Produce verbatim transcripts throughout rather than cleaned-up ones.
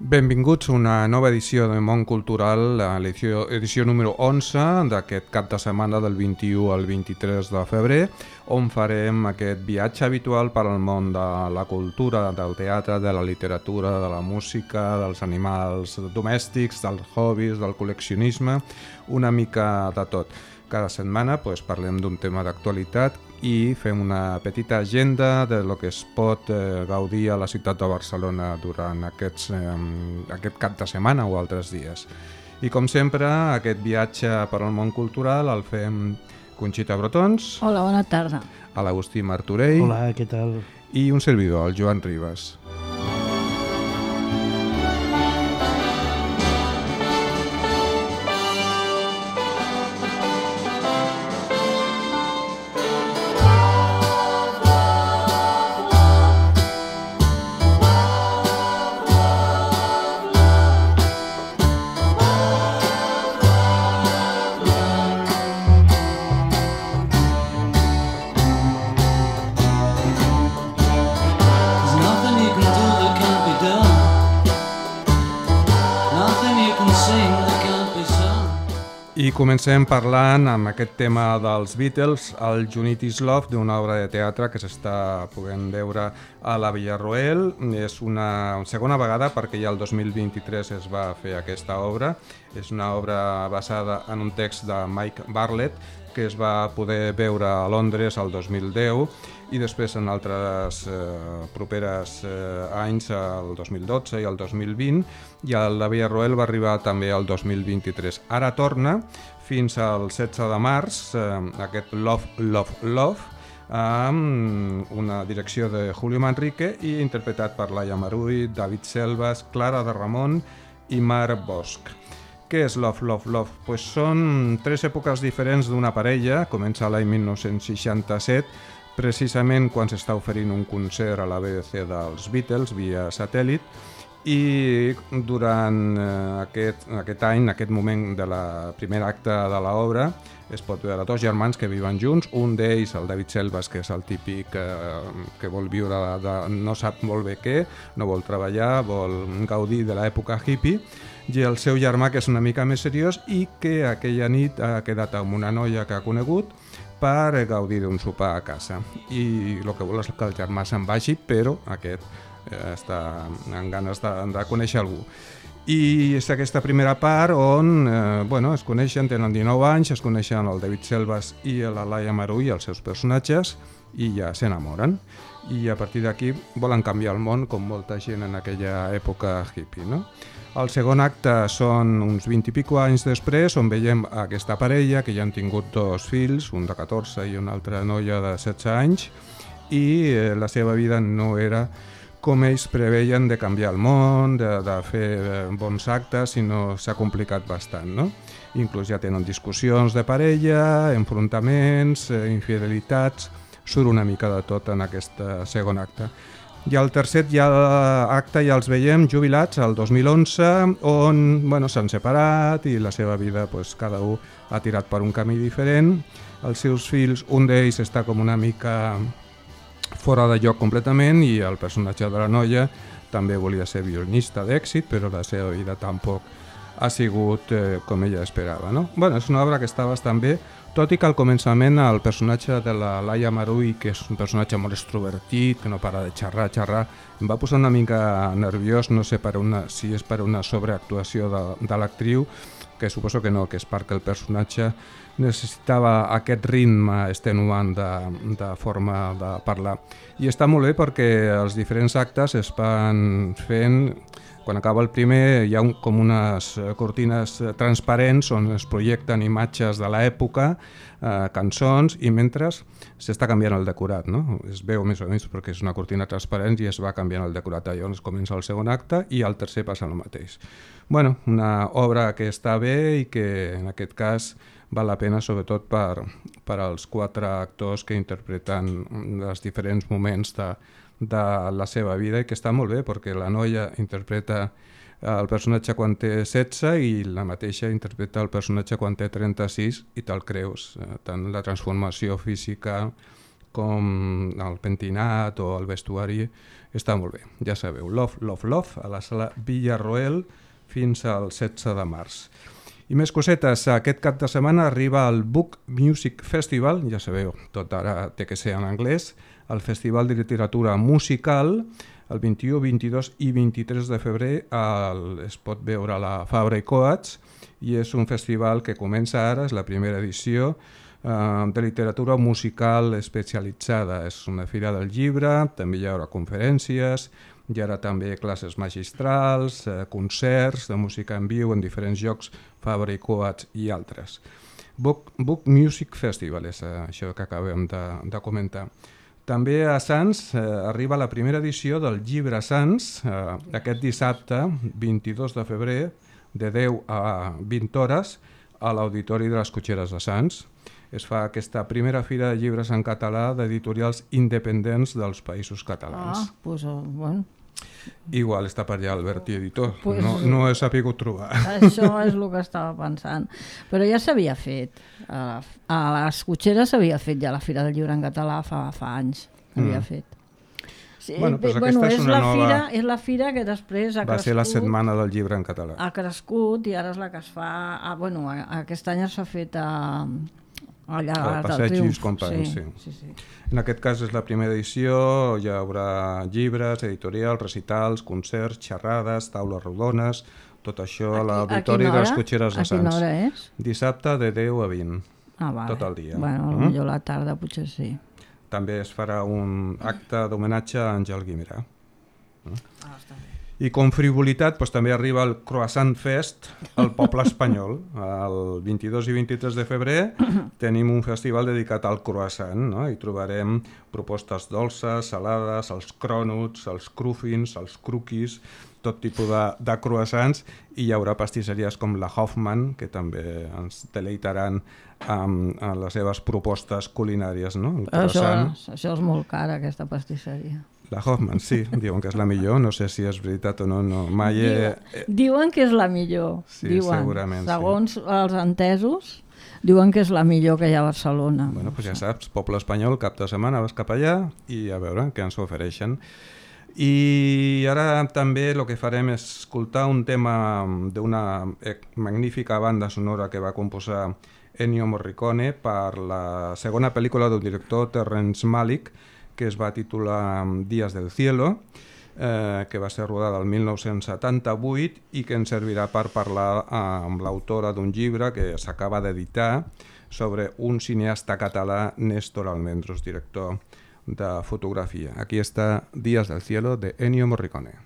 Benvinguts a una nova edició de Món Cultural, l'edició edició número onze d'aquest cap de setmana del vint-i-u al vint-i-tres de febrer, on farem aquest viatge habitual per al món de la cultura, del teatre, de la literatura, de la música, dels animals domèstics, dels hobbies, del col·leccionisme, una mica de tot. Cada setmana pues, parlem d'un tema d'actualitat i fem una petita agenda de lo que es pot eh, gaudir a la ciutat de Barcelona durant aquests, eh, aquest cap de setmana o altres dies. I com sempre, aquest viatge per al món cultural el fem Conxita Brotons. Hola, bona tarda. A l'Agustí Martorell. Hola, què tal? I un servidor, el Joan Ribas. I comencem parlant amb aquest tema dels Beatles, el Unity is Love, d'una obra de teatre que s'està podent veure a la Villarroel. És una segona vegada perquè ja el dos mil vint-i-tres es va fer aquesta obra. És una obra basada en un text de Mike Bartlett que es va poder veure a Londres el dos mil deu i després en altres eh, properes eh, anys, el dos mil dotze i el dos mil vint, i a la Villarroel va arribar també el dos mil vint-i-tres. Ara torna fins al setze de març, eh, aquest Love, Love, Love, amb una direcció de Julio Manrique i interpretat per Laia Marull, David Selvas, Clara de Ramon i Mar Bosch. Què és Love, Love, Love? Pues són tres èpoques diferents d'una parella. Comença l'any mil nou-cents seixanta-set, precisament quan s'està oferint un concert a la B B C dels Beatles via satèl·lit, i durant aquest, aquest any, en aquest moment de la primera acte de l'obra, es pot veure dos germans que viuen junts, un d'ells, el David Selvas, que és el típic eh, que vol viure, de, no sap molt bé què, no vol treballar, vol gaudir de l'època hippie, i el seu germà, que és una mica més seriós i que aquella nit ha quedat amb una noia que ha conegut per gaudir d'un sopar a casa. I el que vol és que el germà se'n vagi, però aquest eh, està amb ganes de, de conèixer algú. I és aquesta primera part on eh, bueno, es coneixen, tenen dinou anys, es coneixen el David Selvas i la Laia Marull, els seus personatges, i ja s'enamoren. I a partir d'aquí volen canviar el món, com molta gent en aquella època hippie, no? El segon acte són uns vint i pico anys després, on veiem aquesta parella que ja han tingut dos fills, un de catorze i una altra noia de setze anys, i eh, la seva vida no era com ells preveien de canviar el món, de, de fer bons actes, sinó s'ha complicat bastant, no? Inclús ja tenen discussions de parella, enfrontaments, eh, infidelitats, surt una mica de tot en aquest segon acte. I al tercer ja acte ja els veiem jubilats el dos mil onze, on bueno, s'han separat i la seva vida pues, cada un ha tirat per un camí diferent. Els seus fills, un d'ells està com una mica fora de lloc completament i el personatge de la noia també volia ser violinista d'èxit, però la seva vida tampoc ha sigut eh, com ella esperava, no? Bueno, és una obra que està bastant bé, tot i que al començament el personatge de la Laia Marull, que és un personatge molt extrovertit, que no para de xerrar, xerrar, em va posar una mica nerviós, no sé per una, si és per una sobreactuació de, de l'actriu, que suposo que no, que és perquè el personatge necessitava aquest ritme extenuant de, de forma de parlar. I està molt bé perquè els diferents actes es van fent. Quan acaba el primer hi ha un, com unes cortines transparents on es projecten imatges de l'època, eh, cançons, i mentre s'està canviant el decorat, no? Es veu més o menys perquè és una cortina transparent i es va canviant el decorat. Llavors comença el segon acte i al tercer passa el mateix. Bueno, una obra que està bé i que en aquest cas val la pena sobretot per, per als quatre actors que interpreten els diferents moments de, de la seva vida, i que està molt bé perquè la noia interpreta el personatge quan té setze i la mateixa interpreta el personatge quan té trenta-sis i te'l creus, tant la transformació física com el pentinat o el vestuari, està molt bé. Ja sabeu, Love, Love, Love, a la sala Villarroel fins al setze de març. I més cosetes, aquest cap de setmana arriba el Book Music Festival, ja sabeu, tot ara té que ser en anglès, el Festival de Literatura Musical, el vint-i-u, vint-i-dos i vint-i-tres de febrer el, es pot veure a la Fabra i Coats i és un festival que comença ara, és la primera edició eh, de literatura musical especialitzada. És una fira del llibre, també hi haurà conferències, hi haurà també classes magistrals, eh, concerts de música en viu en diferents llocs, Fabra i Coats i altres. Book, Book Music Festival és eh, això que acabem de, de comentar. També a Sants eh, arriba la primera edició del Llibre Sants, eh, aquest dissabte, vint-i-dos de febrer, de deu a vint hores, a l'Auditori de les Cotxeres de Sants. Es fa aquesta primera fira de llibres en català d'editorials independents dels països catalans. Ah, doncs, bueno... Igual està per allà Alberti Editor, pues, no, no he sabut trobar. Això és el que estava pensant. Però ja s'havia fet. A, a les Cotxeres s'havia fet ja la Fira del Llibre en català fa, fa anys. S'havia mm. fet. Sí, bueno, però bueno, aquesta és, és, una la nova... fira, és la fira que després ha Va crescut. ser la setmana del llibre en català. Ha crescut i ara és la que es fa... Ah, bueno, aquest any s'ha fet a... allà al Passeig Lluís Companys, sí. Sí, sí, sí. En aquest cas és la primera edició, hi haurà llibres, editorials, recitals, concerts, xerrades, taules rodones, tot això a, a l'Auditori de les Cotxeres de Sants. A quina hora és? Dissabte de deu a vint, ah, vale. tot el dia. Bueno, mm? potser la tarda potser sí. També es farà un acte d'homenatge a Àngel Guimerà. Mm? Ah, està bé. I com frivolitat doncs, també arriba el Croissant Fest al poble espanyol. El vint-i-dos i vint-i-tres de febrer tenim un festival dedicat al croissant, no? Hi trobarem propostes dolces, salades, els crònuts, els crúfins, els cruquis, tot tipus de, de croissants, i hi haurà pastisseries com la Hoffman, que també ens deleitaran amb, amb les seves propostes culinàries. No? El croissant. Això, això és molt car, aquesta pastisseria. La Hoffman, sí, diuen que és la millor, no sé si és veritat o no, no. Mai he... Diuen, diuen que és la millor, sí, diuen, segurament, segons sí. els entesos, diuen que és la millor que hi ha a Barcelona. Bueno, doncs ja saps, poble espanyol, cap de setmana vas cap allà i a veure què ens ofereixen. I ara també el que farem és escoltar un tema d'una magnífica banda sonora que va composar Ennio Morricone per la segona pel·lícula del director Terrence Malick, que es va titular Días del Cielo, eh, que va ser rodada el mil nou-cents setanta-vuit i que ens servirà per parlar amb l'autora d'un llibre que s'acaba d'editar sobre un cineasta català, Néstor Almendros, director de fotografia. Aquí està Días del Cielo de Ennio Morricone.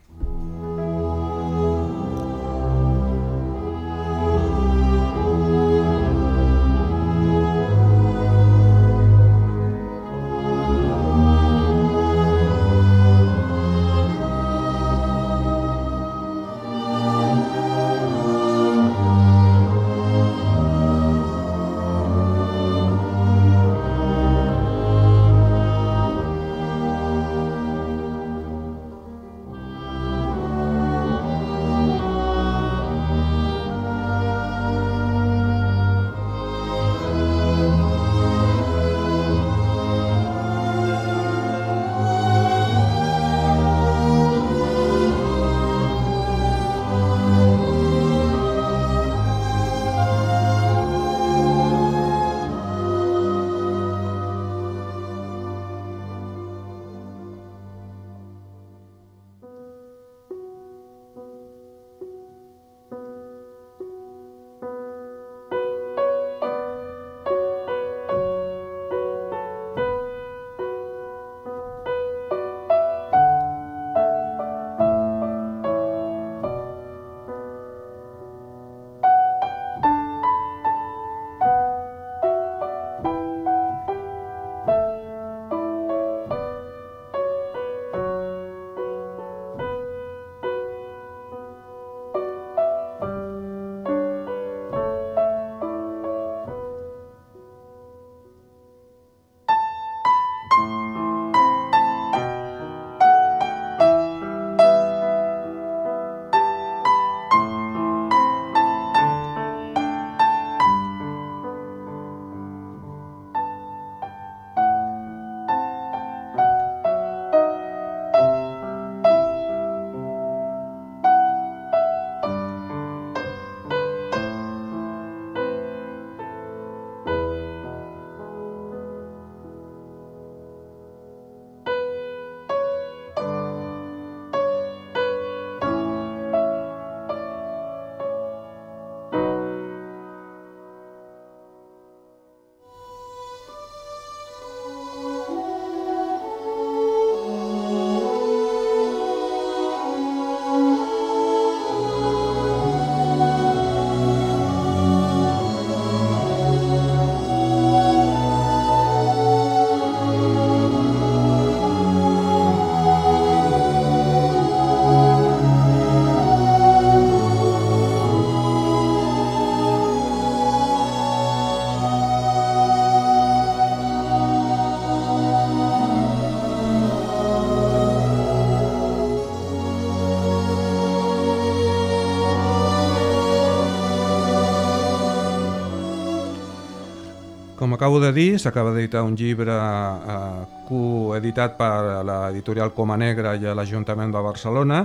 acabo de dir, s'acaba d'editar un llibre eh, coeditat per l'editorial Coma Negra i l'Ajuntament de Barcelona.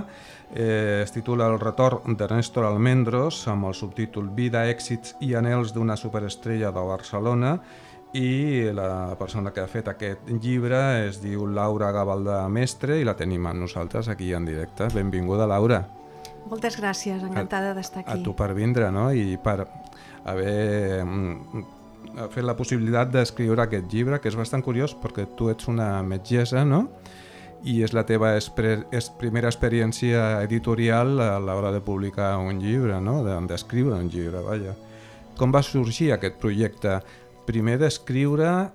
Eh, es titula El retorn de Néstor Almendros, amb el subtítol Vida, èxits i anhels d'una superestrella de Barcelona, i la persona que ha fet aquest llibre es diu Laura Gavaldà Mestre i la tenim amb nosaltres aquí en directe. Benvinguda, Laura. Moltes gràcies, encantada d'estar aquí. A tu per vindre, no? I per haver fet la possibilitat d'escriure aquest llibre, que és bastant curiós perquè tu ets una metgessa, no? I és la teva espre- es primera experiència editorial a l'hora de publicar un llibre, no? D'escriure un llibre, vaja. Com va sorgir aquest projecte? Primer d'escriure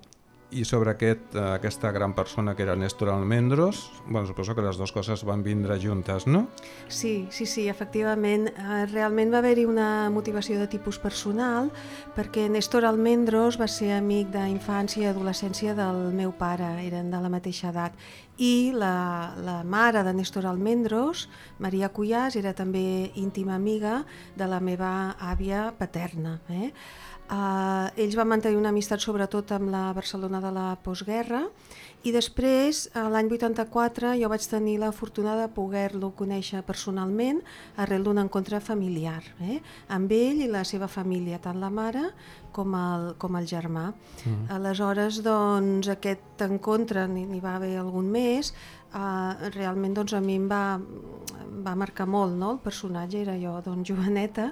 i sobre aquest, aquesta gran persona que era Néstor Almendros, bueno, suposo que les dues coses van vindre juntes, no? Sí, sí, sí, efectivament. Realment va haver-hi una motivació de tipus personal perquè Néstor Almendros va ser amic d'infància i adolescència del meu pare, eren de la mateixa edat. I la, la mare de Néstor Almendros, Maria Cuyàs, era també íntima amiga de la meva àvia paterna. Eh? Uh, ells van mantenir una amistat sobretot amb la Barcelona de la postguerra i després, l'any vuitanta-quatre, jo vaig tenir la fortuna de poder-lo conèixer personalment arrel d'un encontre familiar, eh? Amb ell i la seva família, tant la mare com el, com el germà. Mm. Aleshores, doncs, aquest encontre, n'hi va haver algun més, uh, realment doncs, a mi em va, va marcar molt, no? El personatge era jo, doncs, joveneta,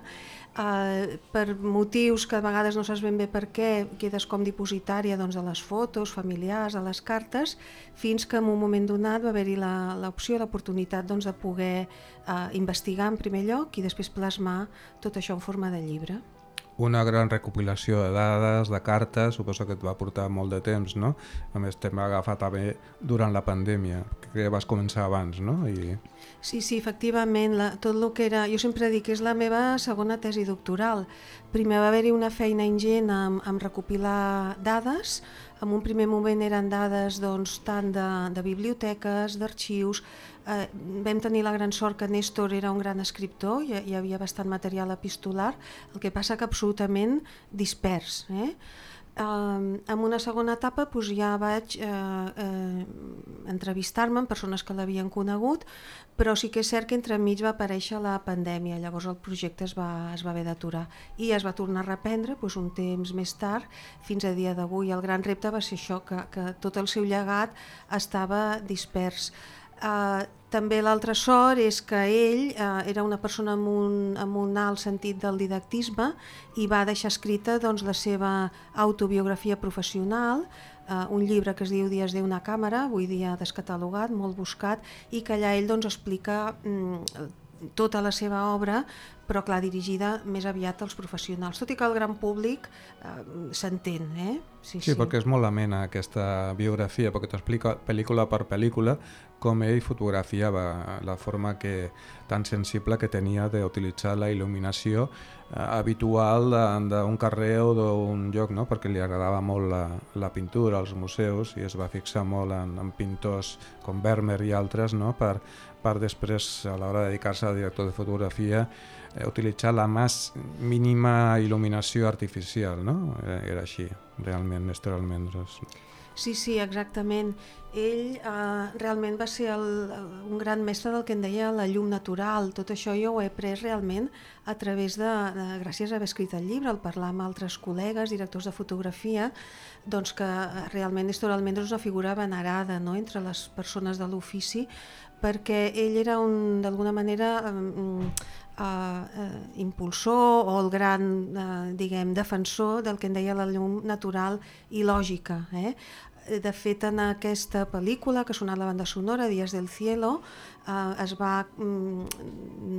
uh, per motius que a vegades no saps ben bé per què, quedes com dipositària doncs, de les fotos familiars, de les cartes, fins que en un moment donat va haver-hi l'opció, l'oportunitat doncs, de poder uh, investigar en primer lloc i després plasmar tot això en forma de llibre. Una gran recopilació de dades, de cartes, suposo que et va portar molt de temps, no? A més, t'hem agafat també durant la pandèmia, que vas començar abans, no? I... Sí, sí, efectivament, la, tot el que era... Jo sempre dic que és la meva segona tesi doctoral. Primer va haver-hi una feina ingent amb, amb recopilar dades. En un primer moment eren dades doncs, tant de, de biblioteques, d'arxius. Eh, vam tenir la gran sort que Néstor era un gran escriptor, hi, hi havia bastant material epistolar, el que passa que absolutament dispers. Eh? Uh, en una segona etapa doncs, ja vaig uh, uh, entrevistar-me amb persones que l'havien conegut, però sí que és cert que entremig va aparèixer la pandèmia, llavors el projecte es va, es va haver d'aturar i es va tornar a reprendre doncs, un temps més tard, fins a dia d'avui. El gran repte va ser això, que, que tot el seu llegat estava dispers. Uh, també l'altra sort és que ell uh, era una persona amb un, amb un alt sentit del didactisme i va deixar escrita doncs, la seva autobiografia professional, uh, un llibre que es diu Dies de una càmera, avui dia descatalogat, molt buscat, i que allà ell doncs, explica mm, tota la seva obra, però clar, dirigida més aviat als professionals, tot i que el gran públic eh, s'entén. Eh? Sí, sí, sí, perquè és molt amena aquesta biografia, perquè t'explica pel·lícula per pel·lícula com ell fotografiava, la forma que, tan sensible que tenia d'utilitzar la il·luminació eh, habitual d'un carrer o d'un lloc, no? Perquè li agradava molt la, la pintura, els museus, i es va fixar molt en, en pintors com Vermeer i altres, no? per, per després, a l'hora de dedicar-se al director de fotografia, eh, utilitzar la més mínima il·luminació artificial, no? Era, era així, realment, Néstor Almendros. Sí, sí, exactament. Ell eh, realment va ser el, un gran mestre del que en deia la llum natural. Tot això jo ho he après realment a través de, de gràcies a haver escrit el llibre, al parlar amb altres col·legues, directors de fotografia, doncs que realment Néstor Almendros és una figura venerada, no?, entre les persones de l'ofici, perquè ell era un, d'alguna manera, um, uh, uh, impulsor o el gran, uh, diguem, defensor del que en deia la llum natural i lògica. Eh? De fet, en aquesta pel·lícula que ha sonat la banda sonora, Días del cielo, eh, es va mm,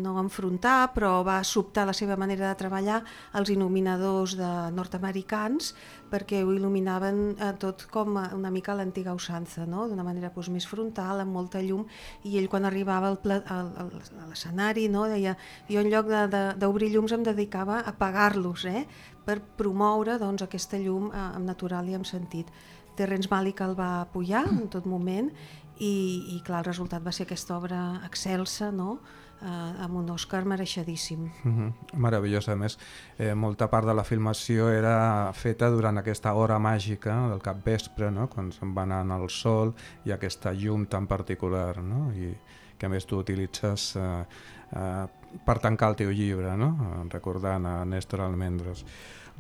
no enfrontar, però va sobtar la seva manera de treballar als il·luminadors de nord-americans, perquè ho il·luminaven eh, tot com una mica a l'antiga usança, no? D'una manera doncs, més frontal, amb molta llum, i ell quan arribava al pla, al, al, a l'escenari, no? Deia, jo en lloc d'obrir llums em dedicava a apagar-los, eh? Per promoure doncs, aquesta llum eh, amb natural i amb sentit. Terrence Malick el va apoyar en tot moment i, i clar, el resultat va ser aquesta obra excelsa, no? Uh, amb un Òscar mereixedíssim. Mm-hmm. Meravellós, a més, eh, molta part de la filmació era feta durant aquesta hora màgica del capvespre, no? Quan se'n va anant al sol i aquesta llum tan particular, no? I que a més tu utilitzes eh, eh, per tancar el teu llibre, no? Recordant a Néstor Almendros.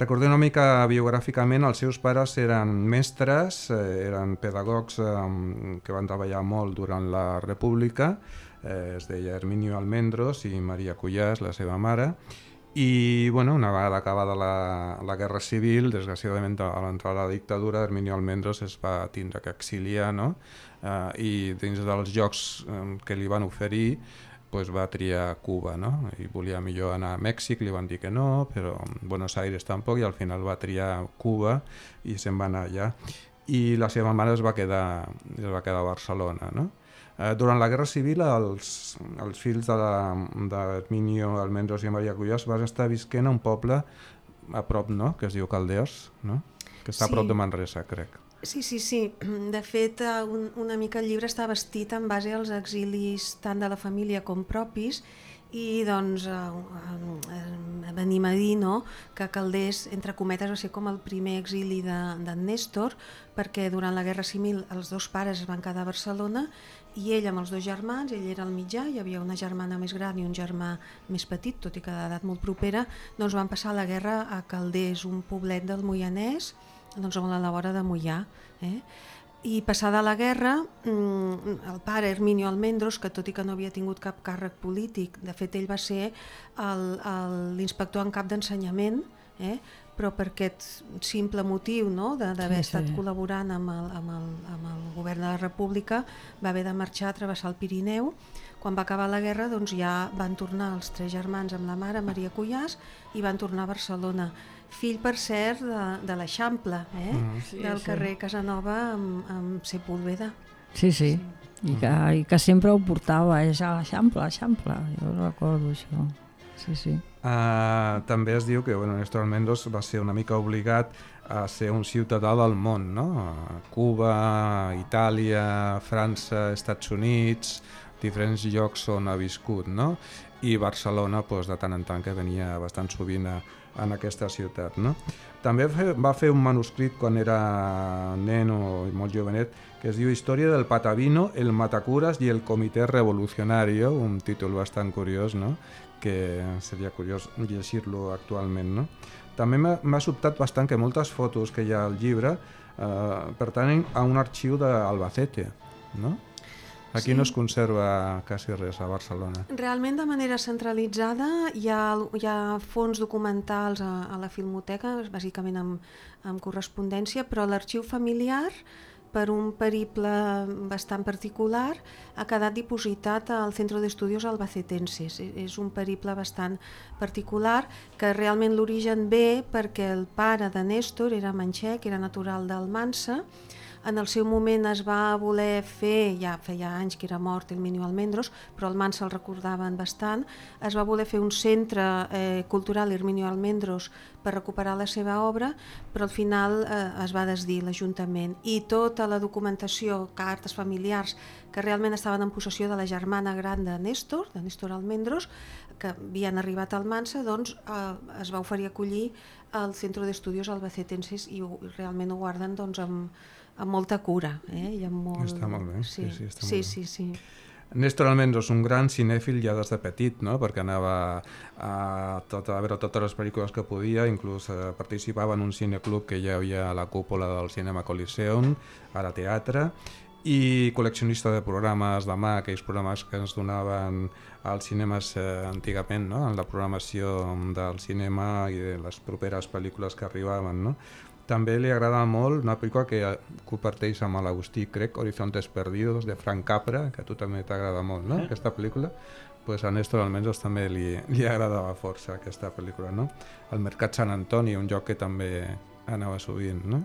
Recordem una mica biogràficament, els seus pares eren mestres, eh, eren pedagogs eh, que van treballar molt durant la República, eh, es deia Herminio Almendros i Maria Cuyàs, la seva mare, i bueno, una vegada acabada la, la Guerra Civil, desgraciadament a l'entrada de la dictadura, Herminio Almendros es va tindre que exiliar, no? eh, i dins dels llocs eh, que li van oferir pues va triar Cuba, no? I volia millor anar a Mèxic, li van dir que no, però Buenos Aires tampoc, i al final va triar Cuba i se'n va anar allà. I la seva mare es va quedar, es va quedar a Barcelona, no? Eh, durant la Guerra Civil, els, els fills d'Herminio Almendros i Maria Cuyàs van estar visquent a un poble a prop, no?, que es diu Calders, no?, que està sí. a prop de Manresa, crec. Sí, sí, sí. De fet, un, una mica el llibre està vestit en base als exilis tant de la família com propis, i doncs eh, venim a dir, no?, que Calders, entre cometes, va ser com el primer exili d'en de, Néstor, perquè durant la Guerra Civil els dos pares es van quedar a Barcelona i ell amb els dos germans, ell era el mitjà, hi havia una germana més gran i un germà més petit, tot i que d'edat molt propera, doncs van passar la guerra a Calders, un poblet del Moianès, doncs a la vora de Moià, eh? I passada la guerra, el pare Herminio Almendros, que tot i que no havia tingut cap càrrec polític, de fet ell va ser l'inspector en cap d'ensenyament, eh? Però per aquest simple motiu, no?, d'haver sí, estat sí. col·laborant amb el, amb, el, amb el govern de la República, va haver de marxar a travessar el Pirineu. Quan va acabar la guerra, doncs ja van tornar els tres germans amb la mare, Maria Cuyàs, i van tornar a Barcelona. Fill, per cert, de, de l'Eixample, eh? Mm. sí, del sí. carrer Casanova amb, amb Sepúlveda. Sí, sí, I, que, i que sempre ho portava, és a l'Eixample, l'Eixample, jo recordo això. Sí, sí. Uh, també es diu que bueno, Néstor Almendros va ser una mica obligat a ser un ciutadà del món, no? Cuba, Itàlia, França, Estats Units, diferents llocs on ha viscut, no? I Barcelona, doncs, de tant en tant, que venia bastant sovint a, en aquesta ciutat, no? També va fer un manuscrit quan era nen o molt jovenet que es diu Història del Patavino, el Matacuras i el Comitè Revolucionario, un títol bastant curiós, no?, que seria curiós llegir-lo actualment, no? També m'ha sobtat bastant que moltes fotos que hi ha al llibre eh, pertanyen a un arxiu d'Albacete, no? Aquí sí. no es conserva quasi res a Barcelona. Realment de manera centralitzada hi ha, hi ha fons documentals a, a la Filmoteca, bàsicament amb, amb correspondència, però l'arxiu familiar, per un periple bastant particular, ha quedat dipositat al Centro de Estudios Albacetenses. És un periple bastant particular que realment l'origen ve perquè el pare de Néstor era manxec, era natural d'Almansa. En el seu moment es va voler fer, ja feia anys que era mort Herminio Almendros, però Almansa el recordaven bastant, es va voler fer un centre eh, cultural Herminio Almendros per recuperar la seva obra, però al final eh, es va desdir l'Ajuntament. I tota la documentació, cartes familiars, que realment estaven en possessió de la germana gran de Néstor, de Néstor Almendros, que havien arribat a Almansa, doncs eh, es va oferir acollir al Centro de Estudios Albacetenses i ho, realment ho guarden doncs, amb, amb molta cura. Eh? I amb molt... Està molt bé. Sí, sí, està sí, molt sí, sí. Néstor Almendros, un gran cinèfil ja des de petit, no? Perquè anava a, tot, a veure totes les pel·lícules que podia, inclús eh, participava en un cineclub que hi havia a la cúpula del Cinema Coliseum, ara teatre, i col·leccionista de programes de mà, aquells programes que ens donaven als cinemes eh, antigament, no? En la programació del cinema i de les properes pel·lícules que arribaven, no? També li agrada molt una pel·lícula que comparteix amb l'Agustí, crec, Horizontes Perdidos, de Frank Capra, que a tu també t'agrada molt, no? Aquesta pel·lícula. Pues a Néstor Almendros també li, li agradava força aquesta pel·lícula, no? El Mercat Sant Antoni, un lloc que també anava sovint, no?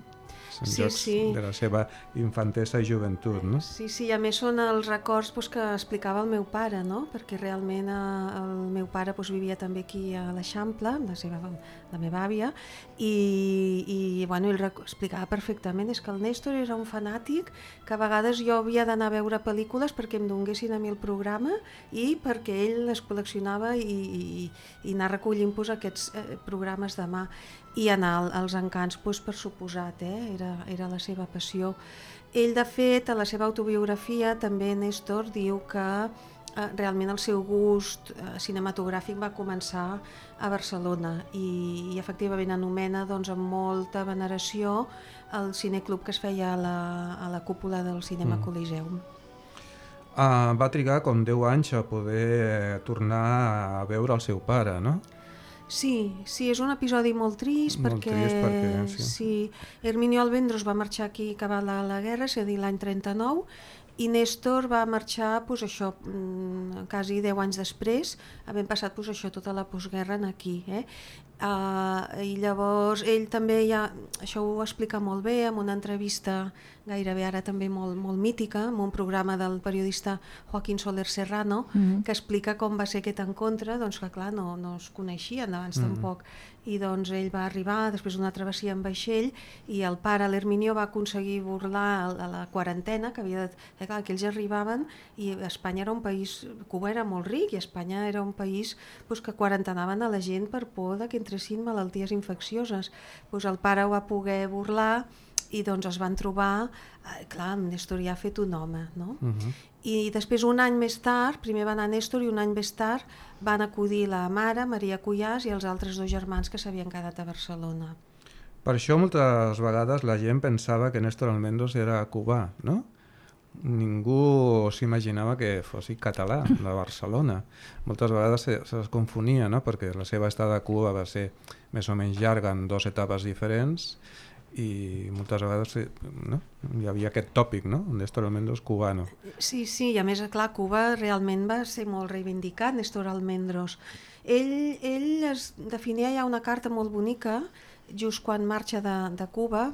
són Sí, jocs sí. de la seva infantesa i joventut, no? Sí, sí, a més són els records doncs, que explicava el meu pare, no? Perquè realment eh, el meu pare doncs, vivia també aquí a l'Eixample, la, seva, la meva àvia, i, i bueno, ell explicava perfectament, és que el Néstor era un fanàtic, que a vegades jo havia d'anar a veure pel·lícules perquè em donguessin a mi el programa i perquè ell les col·leccionava i, i, i anar recollint doncs, aquests eh, programes de mà i anar als encants, doncs, per suposat, eh? era, era la seva passió. Ell, de fet, a la seva autobiografia, també Néstor diu que eh, realment el seu gust eh, cinematogràfic va començar a Barcelona i, i efectivament anomena doncs, amb molta veneració el cineclub que es feia a la, a la cúpula del Cinema mm. Coliseum. Uh, va trigar com deu anys a poder tornar a veure el seu pare, no? Sí, sí, és un episodi molt trist molt perquè, trist perquè sí. sí, Herminio Alvendros va marxar aquí acabant la, la guerra, és a dir, l'any trenta-nou, i Néstor va marxar pues, això, quasi deu anys després, havent passat pues, això, tota la postguerra aquí. Eh? Uh, I llavors ell també, ja, això ho explica molt bé en una entrevista gairebé ara també molt, molt mítica, en un programa del periodista Joaquín Soler Serrano, mm-hmm. que explica com va ser aquest encontre, doncs que clar, no, no es coneixien abans mm-hmm. tampoc, i doncs ell va arribar després d'una travessia en vaixell i el pare, l'Herminio, va aconseguir burlar a la quarantena, que havia de... Eh, clar, que ells arribaven i Espanya era un país, Cuba era molt ric i Espanya era un país pues, que quarantenaven a la gent per por de que entressin malalties infeccioses. Pues, el pare ho va poder burlar i doncs es van trobar, eh, clar, Néstor ja ha fet un home, no? Uh-huh. I després un any més tard, primer va anar Néstor i un any més tard van acudir la mare, Maria Cuyàs, i els altres dos germans que s'havien quedat a Barcelona. Per això moltes vegades la gent pensava que Néstor Almendros era cubà, no? Ningú s'imaginava que fos català, de Barcelona. Moltes vegades se, se les confonia, no? Perquè la seva estada a Cuba va ser més o menys llarga en dues etapes diferents i moltes vegades no? Hi havia aquest tòpic, no? Néstor Almendros cubano. Sí, sí, i a més, clar, Cuba realment va ser molt reivindicat, Néstor Almendros. Ell, ell es definia ja una carta molt bonica just quan marxa de, de Cuba,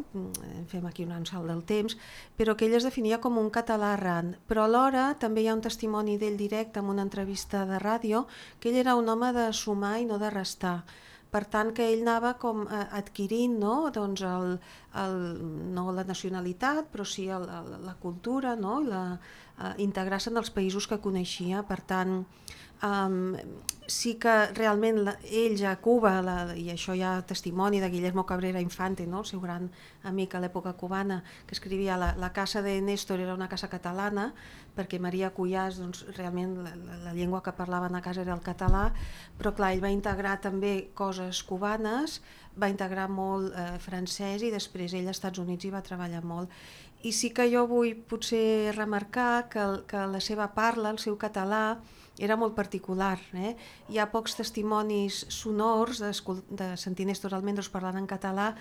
fem aquí un salt del temps, però que ell es definia com un català errant, però alhora també hi ha un testimoni d'ell directe en una entrevista de ràdio, que ell era un home de sumar i no de restar. Per tant, que ell anava com adquirint no? Doncs el, el, no la nacionalitat, però sí el, el, la cultura, no? La, uh, integrar-se en els països que coneixia. Per tant, um, sí que realment la, ell ja a Cuba, la, i això hi ha testimoni de Guillermo Cabrera Infante, no? El seu gran amic a l'època cubana, que escrivia la, la casa de Néstor era una casa catalana, perquè Maria Cuyàs, doncs, realment la, la, la llengua que parlaven a casa era el català, però clar, ell va integrar també coses cubanes, va integrar molt eh, francès i després ell als Estats Units hi va treballar molt. I sí que jo vull potser remarcar que, el, que la seva parla, el seu català, era molt particular. Eh? Hi ha pocs testimonis sonors de, de sentir Néstor Almendros parlant en català,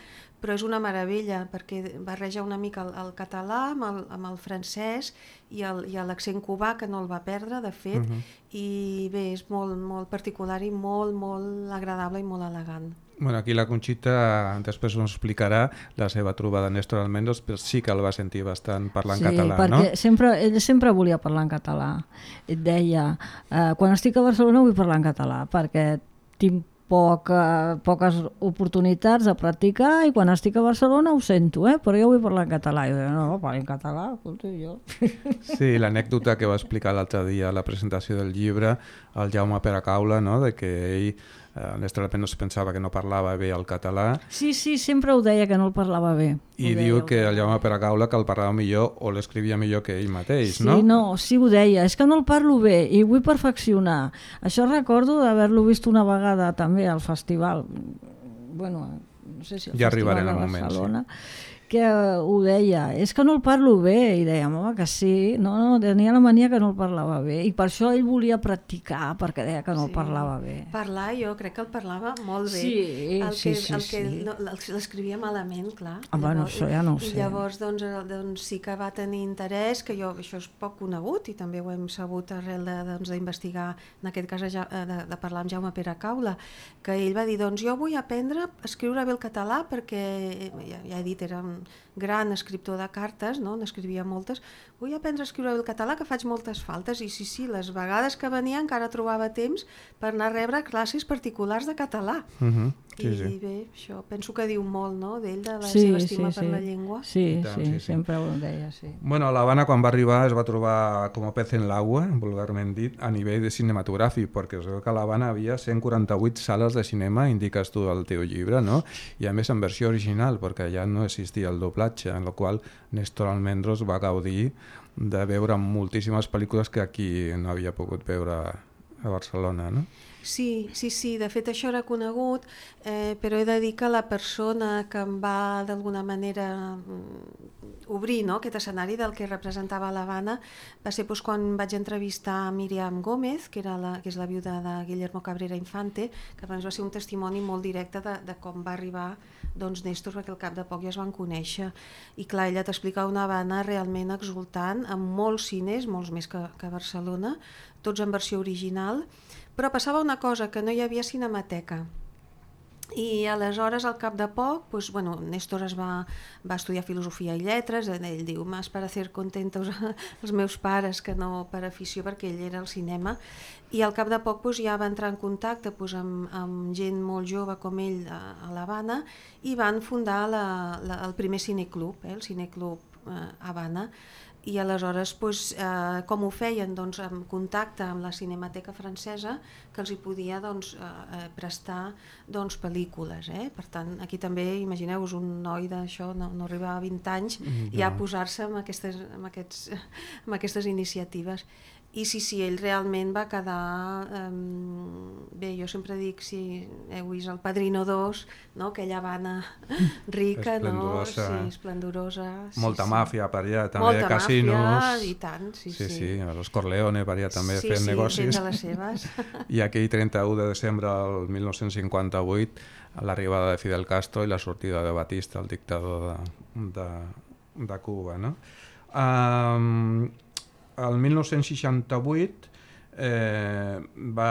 però és una meravella perquè barreja una mica el, el català amb el, amb el francès i l'accent cubà, que no el va perdre, de fet, uh-huh. i bé, és molt, molt particular i molt, molt agradable i molt elegant. Bueno, aquí la Conxita després ens explicarà la seva trobada de Néstor Almendros, però sí que el va sentir bastant parlar en sí, català, perquè no? Sempre, ell sempre volia parlar en català. Et deia, eh, quan estic a Barcelona vull parlar en català, perquè tinc poca, poques oportunitats de practicar i quan estic a Barcelona ho sento, eh? Però jo vull parlar en català. I jo deia, no, parli en català, escolta, jo. Sí, l'anècdota que va explicar l'altre dia a la presentació del llibre, el Jaume Peracaula, no? De que ell Uh, Néstor Almendros pensava que no parlava bé el català. Sí, sí, sempre ho deia que no el parlava bé. I ho diu deia, que el Jaume Peracaula que el parlava millor o l'escrivia millor que ell mateix, sí, no? Sí, no, sí ho deia, és que no el parlo bé i vull perfeccionar. Això recordo d'haver-lo vist una vegada també al festival, bueno, no sé si el ja festival de Barcelona, moment, sí. Que ho deia, és que no el parlo bé, i dèiem, home, que sí, no, no, tenia la mania que no el parlava bé, i per això ell volia practicar, perquè deia que no sí. el parlava bé. Parlar, jo crec que el parlava molt bé. Sí, el sí, que, sí. El que sí. No, l'escrivia malament, clar. Ah, bueno, això ja no ho sé. I llavors, doncs, doncs, sí que va tenir interès, que jo, això és poc conegut, i també ho hem sabut arrel d'investigar, doncs, en aquest cas, de, de parlar amb Jaume Peracaula, que ell va dir, doncs, jo vull aprendre a escriure bé el català, perquè, ja, ja he dit, era un gran escriptor de cartes, no? N'escrivia moltes. Vull aprendre a escriure el català, que faig moltes faltes, i sí, sí, les vegades que venia encara trobava temps per anar a rebre classes particulars de català. Uh-huh. Sí, I sí. bé, això penso que diu molt, no?, d'ell, de la sí, seva estima sí, per sí. la llengua. Sí, tant, sí, sí, sí. sempre ho deia, sí. Bueno, a l'Havana, quan va arribar, es va trobar com a pez en l'aigua, vulgarment dit, a nivell de cinematogràfic, perquè es veu que a l'Havana havia cent quaranta-vuit sales de cinema, indiques tu al teu llibre, no? I a més en versió original, perquè ja no existia el doblatge, en la qual Néstor Almendros va gaudir de veure moltíssimes pel·lícules que aquí no havia pogut veure a Barcelona, no? Sí, sí, sí, de fet això era conegut, eh, però he de dir que la persona que em va d'alguna manera obrir, no?, aquest escenari del que representava l'Havana va ser doncs, quan vaig entrevistar a Míriam Gómez, que, era la, que és la viuda de Guillermo Cabrera Infante, que va ser un testimoni molt directe de, de com va arribar doncs, Néstor, perquè al cap de poc ja es van conèixer. I clar, ella t'explica una Havana realment exultant, amb molts cines, molts més que, que a Barcelona, tots en versió original, però passava una cosa, que no hi havia cinemateca. I aleshores, al cap de poc, pues, bueno, Néstor es va, va estudiar filosofia i lletres, ell diu, más para hacer contentos els meus pares que no per afició, perquè ell era al cinema, i al cap de poc pues, ja va entrar en contacte pues, amb, amb gent molt jove com ell a, a l'Havana, i van fundar la, la, el primer cineclub, eh, el cineclub eh, Havana. I aleshores doncs, eh, com ho feien? Doncs en contacte amb la Cinemateca Francesa, que els hi podia doncs, eh, prestar doncs, pel·lícules. Eh? Per tant, aquí també, imagineu-vos, un noi d'això, no, no arribava a vint anys, mm, ja a posar-se amb aquestes, amb, aquests, amb aquestes iniciatives. I sí, sí, ell realment va quedar... Eh, bé, jo sempre dic, si heu vist el Padrino dos, no? Aquella Havana rica, esplendorosa. No? Sí, esplendorosa. Molta sí, màfia per allà, també molta casinos. Màfia, i tant, sí, sí. Sí, sí, los Corleone per allà també sí, fent sí, negocis. Sí, fent les seves. I aquell trenta-u de desembre del mil nou-cents cinquanta-vuit, l'arribada de Fidel Castro i la sortida de Batista, el dictador de, de, de Cuba, no? Um, el mil nou-cents seixanta-vuit eh, va...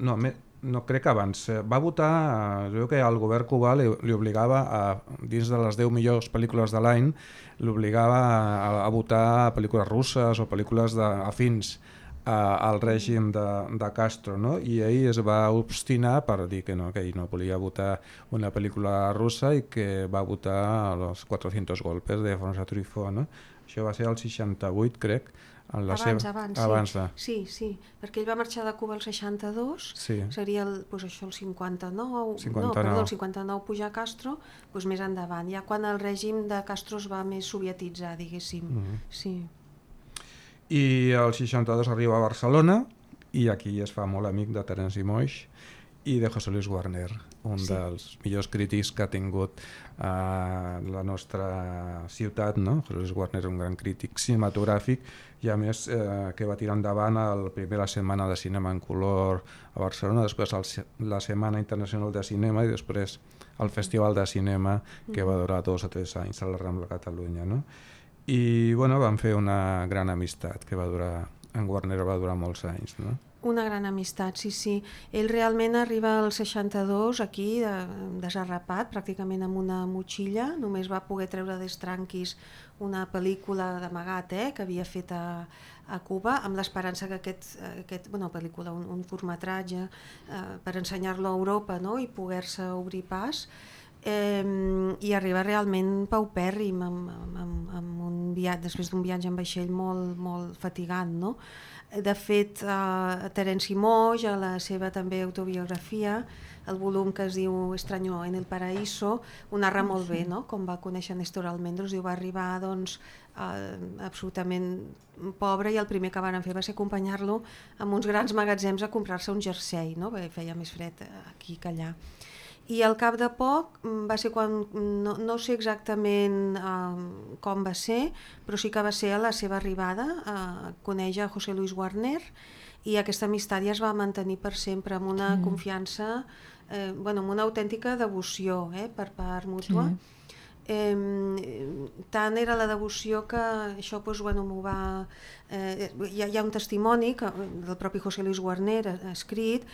No, me, no crec que abans. Va votar, es veu que el govern cubà li, li obligava, a, dins de les deu millors pel·lícules de l'any, l'obligava a, a votar pel·lícules russes o pel·lícules de, afins a, al règim de, de Castro, no? I ell es va obstinar per dir que no, que ell no volia votar una pel·lícula russa i que va votar Los cuatrocientos golpes de François Truffaut, no? Això va ser el seixanta-vuit, crec. En la abans, seva... abans, abans sí. de... sí, sí, perquè ell va marxar de Cuba el seixanta-dos, sí. seria el, doncs això, el cinquanta-nou, cinquanta-nou. No, perdó, el cinquanta-nou pujar Castro, doncs més endavant, ja quan el règim de Castro es va més sovietitzar, diguéssim. Mm-hmm. Sí. I el seixanta-dos arriba a Barcelona i aquí es fa molt amic de Terenci Moix i de José Luis Guarner, un sí. dels millors crítics que ha tingut uh, la nostra ciutat, no? José Luis Guarner és un gran crític cinematogràfic i a més eh, que va tirar endavant la primera setmana de cinema en color a Barcelona, després el, la Setmana Internacional de Cinema i després el Festival de Cinema que va durar dos o tres anys a la Rambla Catalunya, no? I bueno, van fer una gran amistat que va durar, en Guarner va durar molts anys, no? Una gran amistat, sí, sí. Ell realment arriba al seixanta-dos aquí, de, desarrapat, pràcticament amb una motxilla, només va poder treure des tranquis una pel·lícula d'amagat eh, que havia fet a, a Cuba, amb l'esperança que aquest, aquest bueno, pel·lícula, un, un curtmetratge, eh, per ensenyar-lo a Europa, no? I poder-se obrir pas, eh, i arriba realment paupèrrim, amb, amb, amb un viatge, després d'un viatge en vaixell molt, molt fatigant, no? De fet, eh, Terenci Moix, a la seva també autobiografia, el volum que es diu Extraño en el Paraíso, ho narra molt bé, no? Com va conèixer Néstor Almendros, diu, va arribar doncs, eh, absolutament pobre i el primer que van fer va ser acompanyar-lo amb uns grans magatzems a comprar-se un jersei, no? Perquè feia més fred aquí que allà. I al cap de poc va ser quan, no, no sé exactament eh, com va ser, però sí que va ser a la seva arribada, a conèixer a José Luis Guarner, i aquesta amistat ja es va mantenir per sempre, amb una mm. confiança, eh, bueno, amb una autèntica devoció eh, per part mútua. Sí. Eh, tant era la devoció que això doncs, bueno, m'ho va... Eh, hi, ha, hi ha un testimoni que, del propi José Luis Guarner ha, ha escrit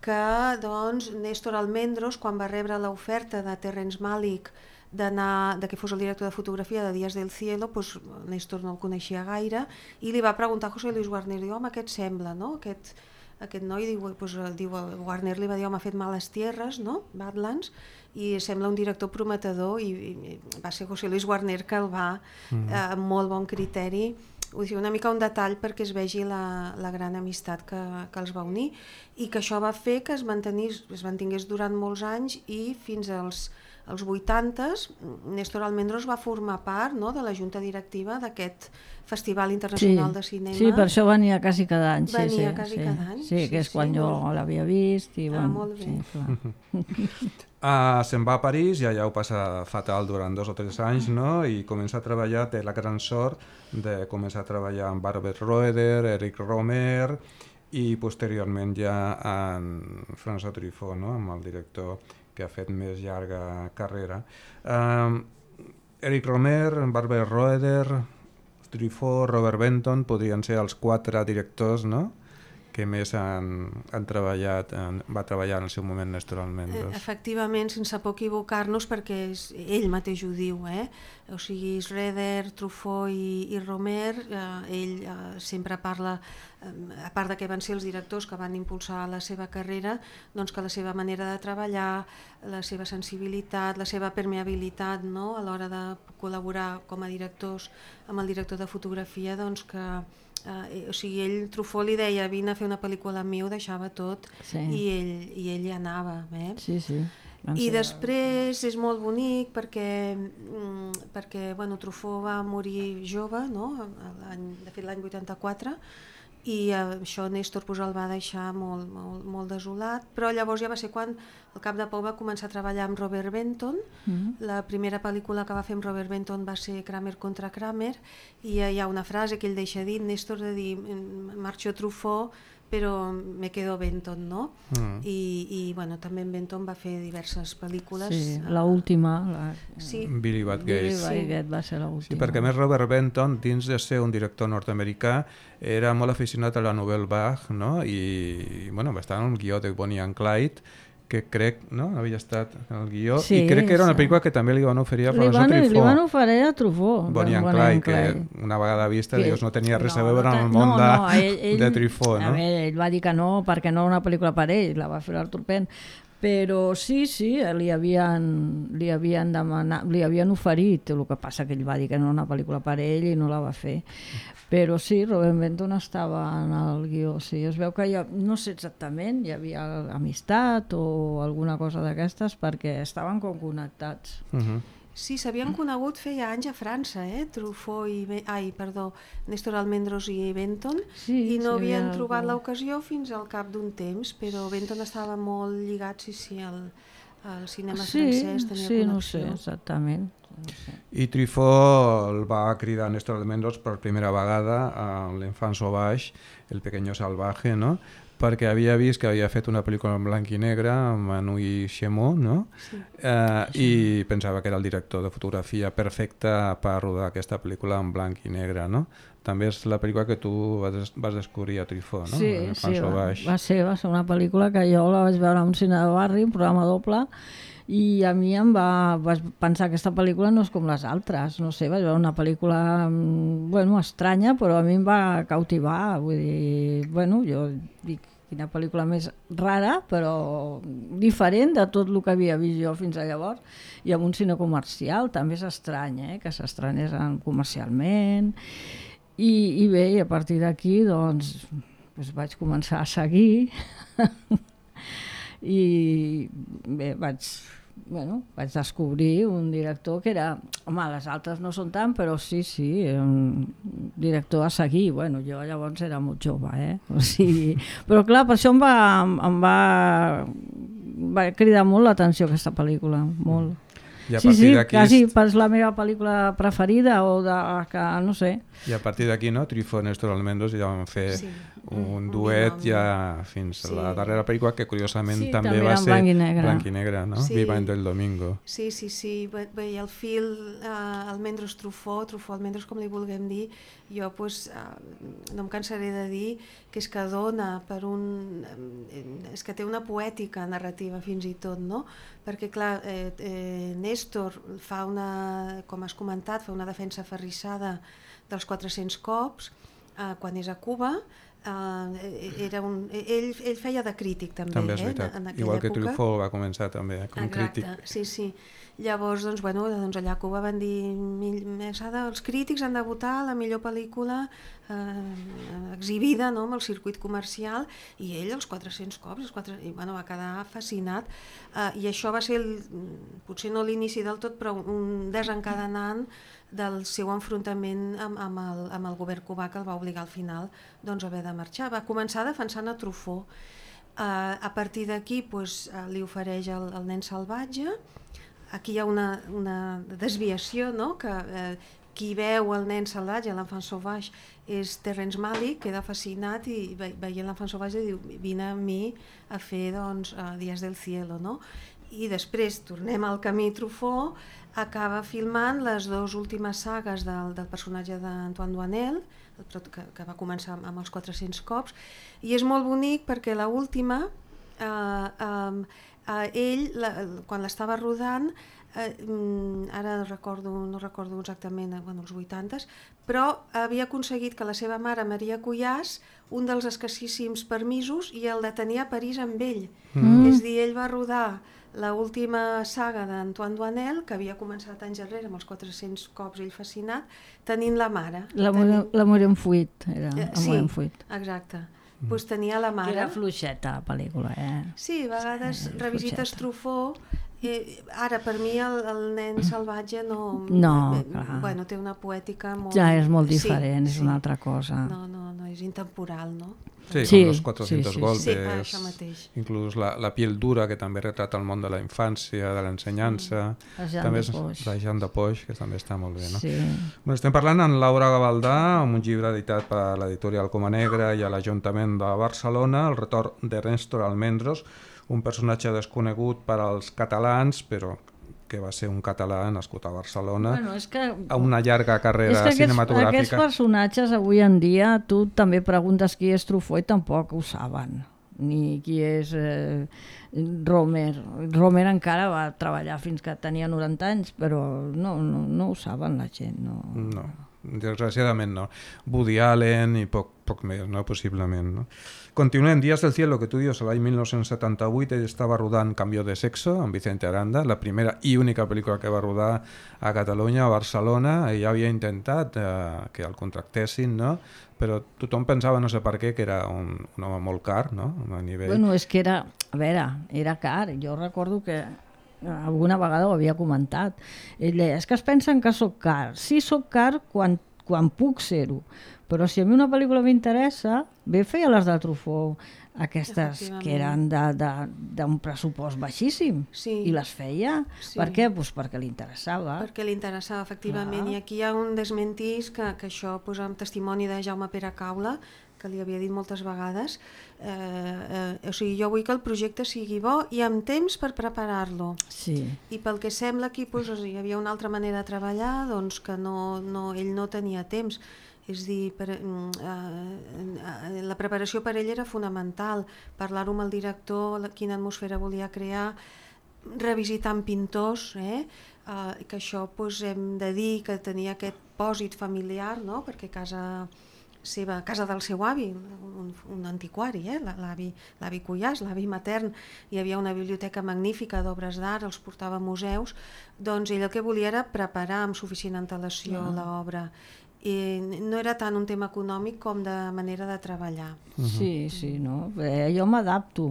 que doncs, Néstor Almendros, quan va rebre l'oferta de Terrence Malick d'anar, de que fos el director de fotografia de Días del Cielo, doncs Néstor no el coneixia gaire, i li va preguntar a José Luis Warner, diu, home, què et sembla, no? Aquest, aquest noi, diu, doncs, diu, Warner li va dir, home, ha fet Males Tierras, no? Badlands, i sembla un director prometedor, i, i va ser José Luis Warner que el va, mm. eh, amb molt bon criteri, vull dir, una mica un detall perquè es vegi la, la gran amistat que, que els va unir, i que això va fer que es, mantenís, es mantingués durant molts anys, i fins als, als vuitantes Néstor Almendros va formar part, no?, de la junta directiva d'aquest Festival Internacional sí, de Cinema. Sí, per això venia quasi cada any. Venia sí, sí, quasi sí. cada any. Sí, que és sí, quan sí, jo molt... l'havia vist. I, ah, bueno, molt bé. Sí, clar. Uh, se'n va a París i allà ho passa fatal durant dos o tres anys, no? I comença a treballar, té la gran sort de començar a treballar amb Barbet Roeder, Eric Romer i posteriorment ja en François Truffaut, no? Amb el director que ha fet més llarga carrera. Uh, Eric Romer, Barbet Roeder, Truffaut, Robert Benton podrien ser els quatre directors, no?, que més han, han treballat, en, va treballar en el seu moment Néstor Almendros. Efectivament, sense por equivocar-nos, perquè és, ell mateix ho diu, eh? O sigui, Schroeder, Truffaut i, i Romer, eh, ell eh, sempre parla, eh, a part de que van ser els directors que van impulsar la seva carrera, doncs que la seva manera de treballar, la seva sensibilitat, la seva permeabilitat, no?, a l'hora de col·laborar com a directors amb el director de fotografia, doncs que Uh, o sigui, ell, Truffaut li deia, vine a fer una pel·lícula amb mi, ho deixava tot, sí. i, ell, i ell hi anava. Eh? Sí, sí. I després és molt bonic perquè, mm, perquè bueno, Truffaut va morir jove, no? De fet l'any vuitanta-quatre, i uh, això Néstor pues, el va deixar molt, molt, molt desolat, però llavors ja va ser quan al cap de poc va començar a treballar amb Robert Benton. Mm-hmm. La primera pel·lícula que va fer amb Robert Benton va ser Kramer contra Kramer, i hi ha una frase que ell deixa dit, Néstor, de dir, marxo Truffaut, però me quedo Benton, no? Mm. I, i bueno, també en Benton va fer diverses pel·lícules. Sí, l'última. La... Sí. Billy Batgate. Billy Batgate sí. va ser l'última. Sí, perquè més Robert Benton, dins de ser un director nord-americà, era molt aficionat a la Nouvelle Vague, no? I, bueno, va estar en un guió de Bonnie and Clyde, que crec, no?, havia estat en el guió, sí, i crec que era una pel·lícula que també li van oferir a François Truffaut. Li van oferir a Truffaut. Bonnie and Clyde, que una vegada vista, que... Dios, no tenia res no, a veure en el món no, de, no, ell, ell, de Truffaut, no? A veure, ell va dir que no, perquè no era una pel·lícula per ell, la va fer l'Artur Penn, però sí, sí, li havien, li havien demanat, li havien oferit, el que passa que ell va dir que no era una pel·lícula per ell i no la va fer. Però sí, Robert Benton estava en el guió, sí, es veu que hi ha, no sé exactament, hi havia amistat o alguna cosa d'aquestes perquè estaven com connectats. Uh-huh. Sí, s'havien conegut feia anys a França, eh? Truffaut i... Be... Ai, perdó, Néstor Almendros i Benton, sí, i no sí, havien trobat algú... l'ocasió fins al cap d'un temps, però Benton estava molt lligat, sí, sí, al, al cinema sí, francès, tenia sí, connexió. No sé, exactament. No sé. I Truffaut el va cridar a Néstor Almendros per primera vegada a l'Enfant Sauvage, El Pequeño Salvaje, no?, perquè havia vist que havia fet una pel·lícula en blanc i negre amb Anouilh Chemot, no? Sí. Eh, i pensava que era el director de fotografia perfecte per rodar aquesta pel·lícula en blanc i negre, no? També és la pel·lícula que tu vas, vas descobrir a Truffaut, no? Sí, sí, va, va, ser, va ser una pel·lícula que jo la vaig veure a un cine de barri, un programa doble, i a mi em va, vaig pensar que aquesta pel·lícula no és com les altres, no sé, vaig veure una pel·lícula, bueno, estranya, però a mi em va cautivar, vull dir, bueno, jo dic, quina pel·lícula més rara, però diferent de tot el que havia vist jo fins a llavors, i amb un cine comercial també és estrany, eh? Que s'estrenés comercialment, i, i bé, i a partir d'aquí doncs, doncs vaig començar a seguir i bé, vaig, bueno, vaig descobrir un director que era, home, les altres no són tant, però sí, sí, un director a seguir. Bueno, jo llavors era molt jove, eh? O sigui, però clar, per això em va, em va, va cridar molt l'atenció aquesta pel·lícula, molt. I a sí, sí, d'aquí... quasi és la meva pel·lícula preferida o de que, no sé. I a partir d'aquí, no, Truffaut i Néstor Almendros ja van fer sí, un, un duet un ja fins sí. a la darrera pel·lícula, que curiosament sí, també, també va ser blanc i negre, blanc i negre, no? Sí. Viva del Domingo. Sí, sí, sí. Bé, i el fil uh, Almendros Truffaut, Truffaut Almendros, com li vulguem dir, jo pues, uh, no em cansaré de dir que és que dona per un... és que té una poètica narrativa fins i tot, no? Perquè, clar, eh, eh, Néstor fa una, com has comentat, fa una defensa aferrissada dels quatre-cents cops, eh, quan és a Cuba, eh, era un, ell, ell feia de crític també, també és eh, veritat. en, en igual que època. Truffaut va començar també eh, com Exacte, crític. sí, sí. Llavors, doncs, bueno, doncs allà a Cuba van dir els crítics han de votar la millor pel·lícula eh, exhibida, no?, amb el circuit comercial, i ell els quatre-cents cops, els quatre... i, bueno, va quedar fascinat, eh, i això va ser el, potser no l'inici del tot, però un desencadenant del seu enfrontament amb, amb, el, amb el govern cubà, que el va obligar al final doncs, a haver de marxar. Va començar defensant a Truffaut. Uh, a partir d'aquí pues, uh, li ofereix el, el nen salvatge. Aquí hi ha una, una desviació, no?, que uh, qui veu el nen salvatge, l'enfant sauvage, és Terrence Malick, queda fascinat i ve, veient l'enfant sauvage diu vine a mi a fer doncs, uh, Días del cielo, no? I després tornem al camí Truffaut, acaba filmant les dues últimes sagues del, del personatge d'Antoine Doinel, que, que va començar amb, amb els quatre-cents cops, i és molt bonic perquè l'última, eh, eh, eh, ell, la, quan l'estava rodant, eh, ara recordo, no recordo exactament, bueno, els vuitantes, però havia aconseguit que la seva mare, Maria Cuyàs, un dels escassíssims permisos, i el detenia a París amb ell. Mm. És a dir, ell va rodar l'última saga d'Antoine Doinel, que havia començat anys enrere amb els quatre-cents cops, ell fascinat, tenint la mare. L'amor en fuit, era eh, Amor sí, en fuit. Exacte. Mm. Pues tenia la mare. Que era fluixeta la pel·lícula, eh? Sí, a vegades sí, revisites Truffaut. Eh, ara, per mi, el, el nen salvatge no... No, eh, clar. Bueno, té una poètica molt... Ja és molt diferent, sí, és sí. una altra cosa. No, no, no, és intemporal, no? Sí, sí, con los cuatrocientos sí, sí, golpes, sí, això mateix. Inclús la, la piel dura, que també retrata el món de la infància, de l'ensenyança, sí. també és Poix. la Jean de Poix, que també està molt bé, no? Sí. Bueno, estem parlant amb Laura Gavaldà, amb un llibre editat per l'editorial Coma Negra i a l'Ajuntament de Barcelona, El retorn de Néstor Almendros, un personatge desconegut per als catalans, però que va ser un català nascut a Barcelona, bueno, és que, a una llarga carrera és que aquests, cinematogràfica. Aquests personatges avui en dia, tu també preguntes qui és Truffaut i tampoc ho saben, ni qui és eh, Romer. Romer encara va treballar fins que tenia noranta anys, però no, no, no ho saben la gent. No, no desgraciadament no. Woody Allen i poc, poc més, no? Possiblement. No? Continuem, Días del cielo, que tu dius, l'any mil nou-cents setanta-vuit ell estava rodant Cambio de sexo amb Vicente Aranda, la primera i única pel·lícula que va rodar a Catalunya, a Barcelona. Ell havia intentat eh, que el contractessin, no? Però tothom pensava, no sé per què, que era un, un home molt car, no? A nivell... Bueno, és que era, a veure, era car. Jo recordo que alguna vegada ho havia comentat. Ell deia, és que es pensen que sóc car. Sí, sóc car quan, quan puc ser-ho, però si a mi una pel·lícula m'interessa, bé feia les de Truffaut, aquestes que eren d'un pressupost baixíssim, sí. I les feia. Sí. Per què? Pues perquè li interessava. Perquè li interessava, efectivament. Clar. I aquí hi ha un desmentís que, que això posa en testimoni de Jaume Pere Caula, que li havia dit moltes vegades, eh, eh, o sigui, jo vull que el projecte sigui bo i amb temps per preparar-lo. Sí. I pel que sembla aquí doncs, hi havia una altra manera de treballar, doncs que no, no, ell no tenia temps. És dir, per, eh, la preparació per ell era fonamental, parlar-ho amb el director, quina atmosfera volia crear, revisitar amb pintors, eh? Eh, que això doncs, hem de dir que tenia aquest pòsit familiar, no? Perquè casa... seva casa del seu avi, un, un antiquari, eh? l'avi, l'avi Cuyàs, l'avi matern, hi havia una biblioteca magnífica d'obres d'art, els portava a museus, doncs ell el que volia era preparar amb suficient antelació ah. l'obra. I no era tant un tema econòmic com de manera de treballar. Uh-huh. Sí, sí, no? Bé, jo m'adapto.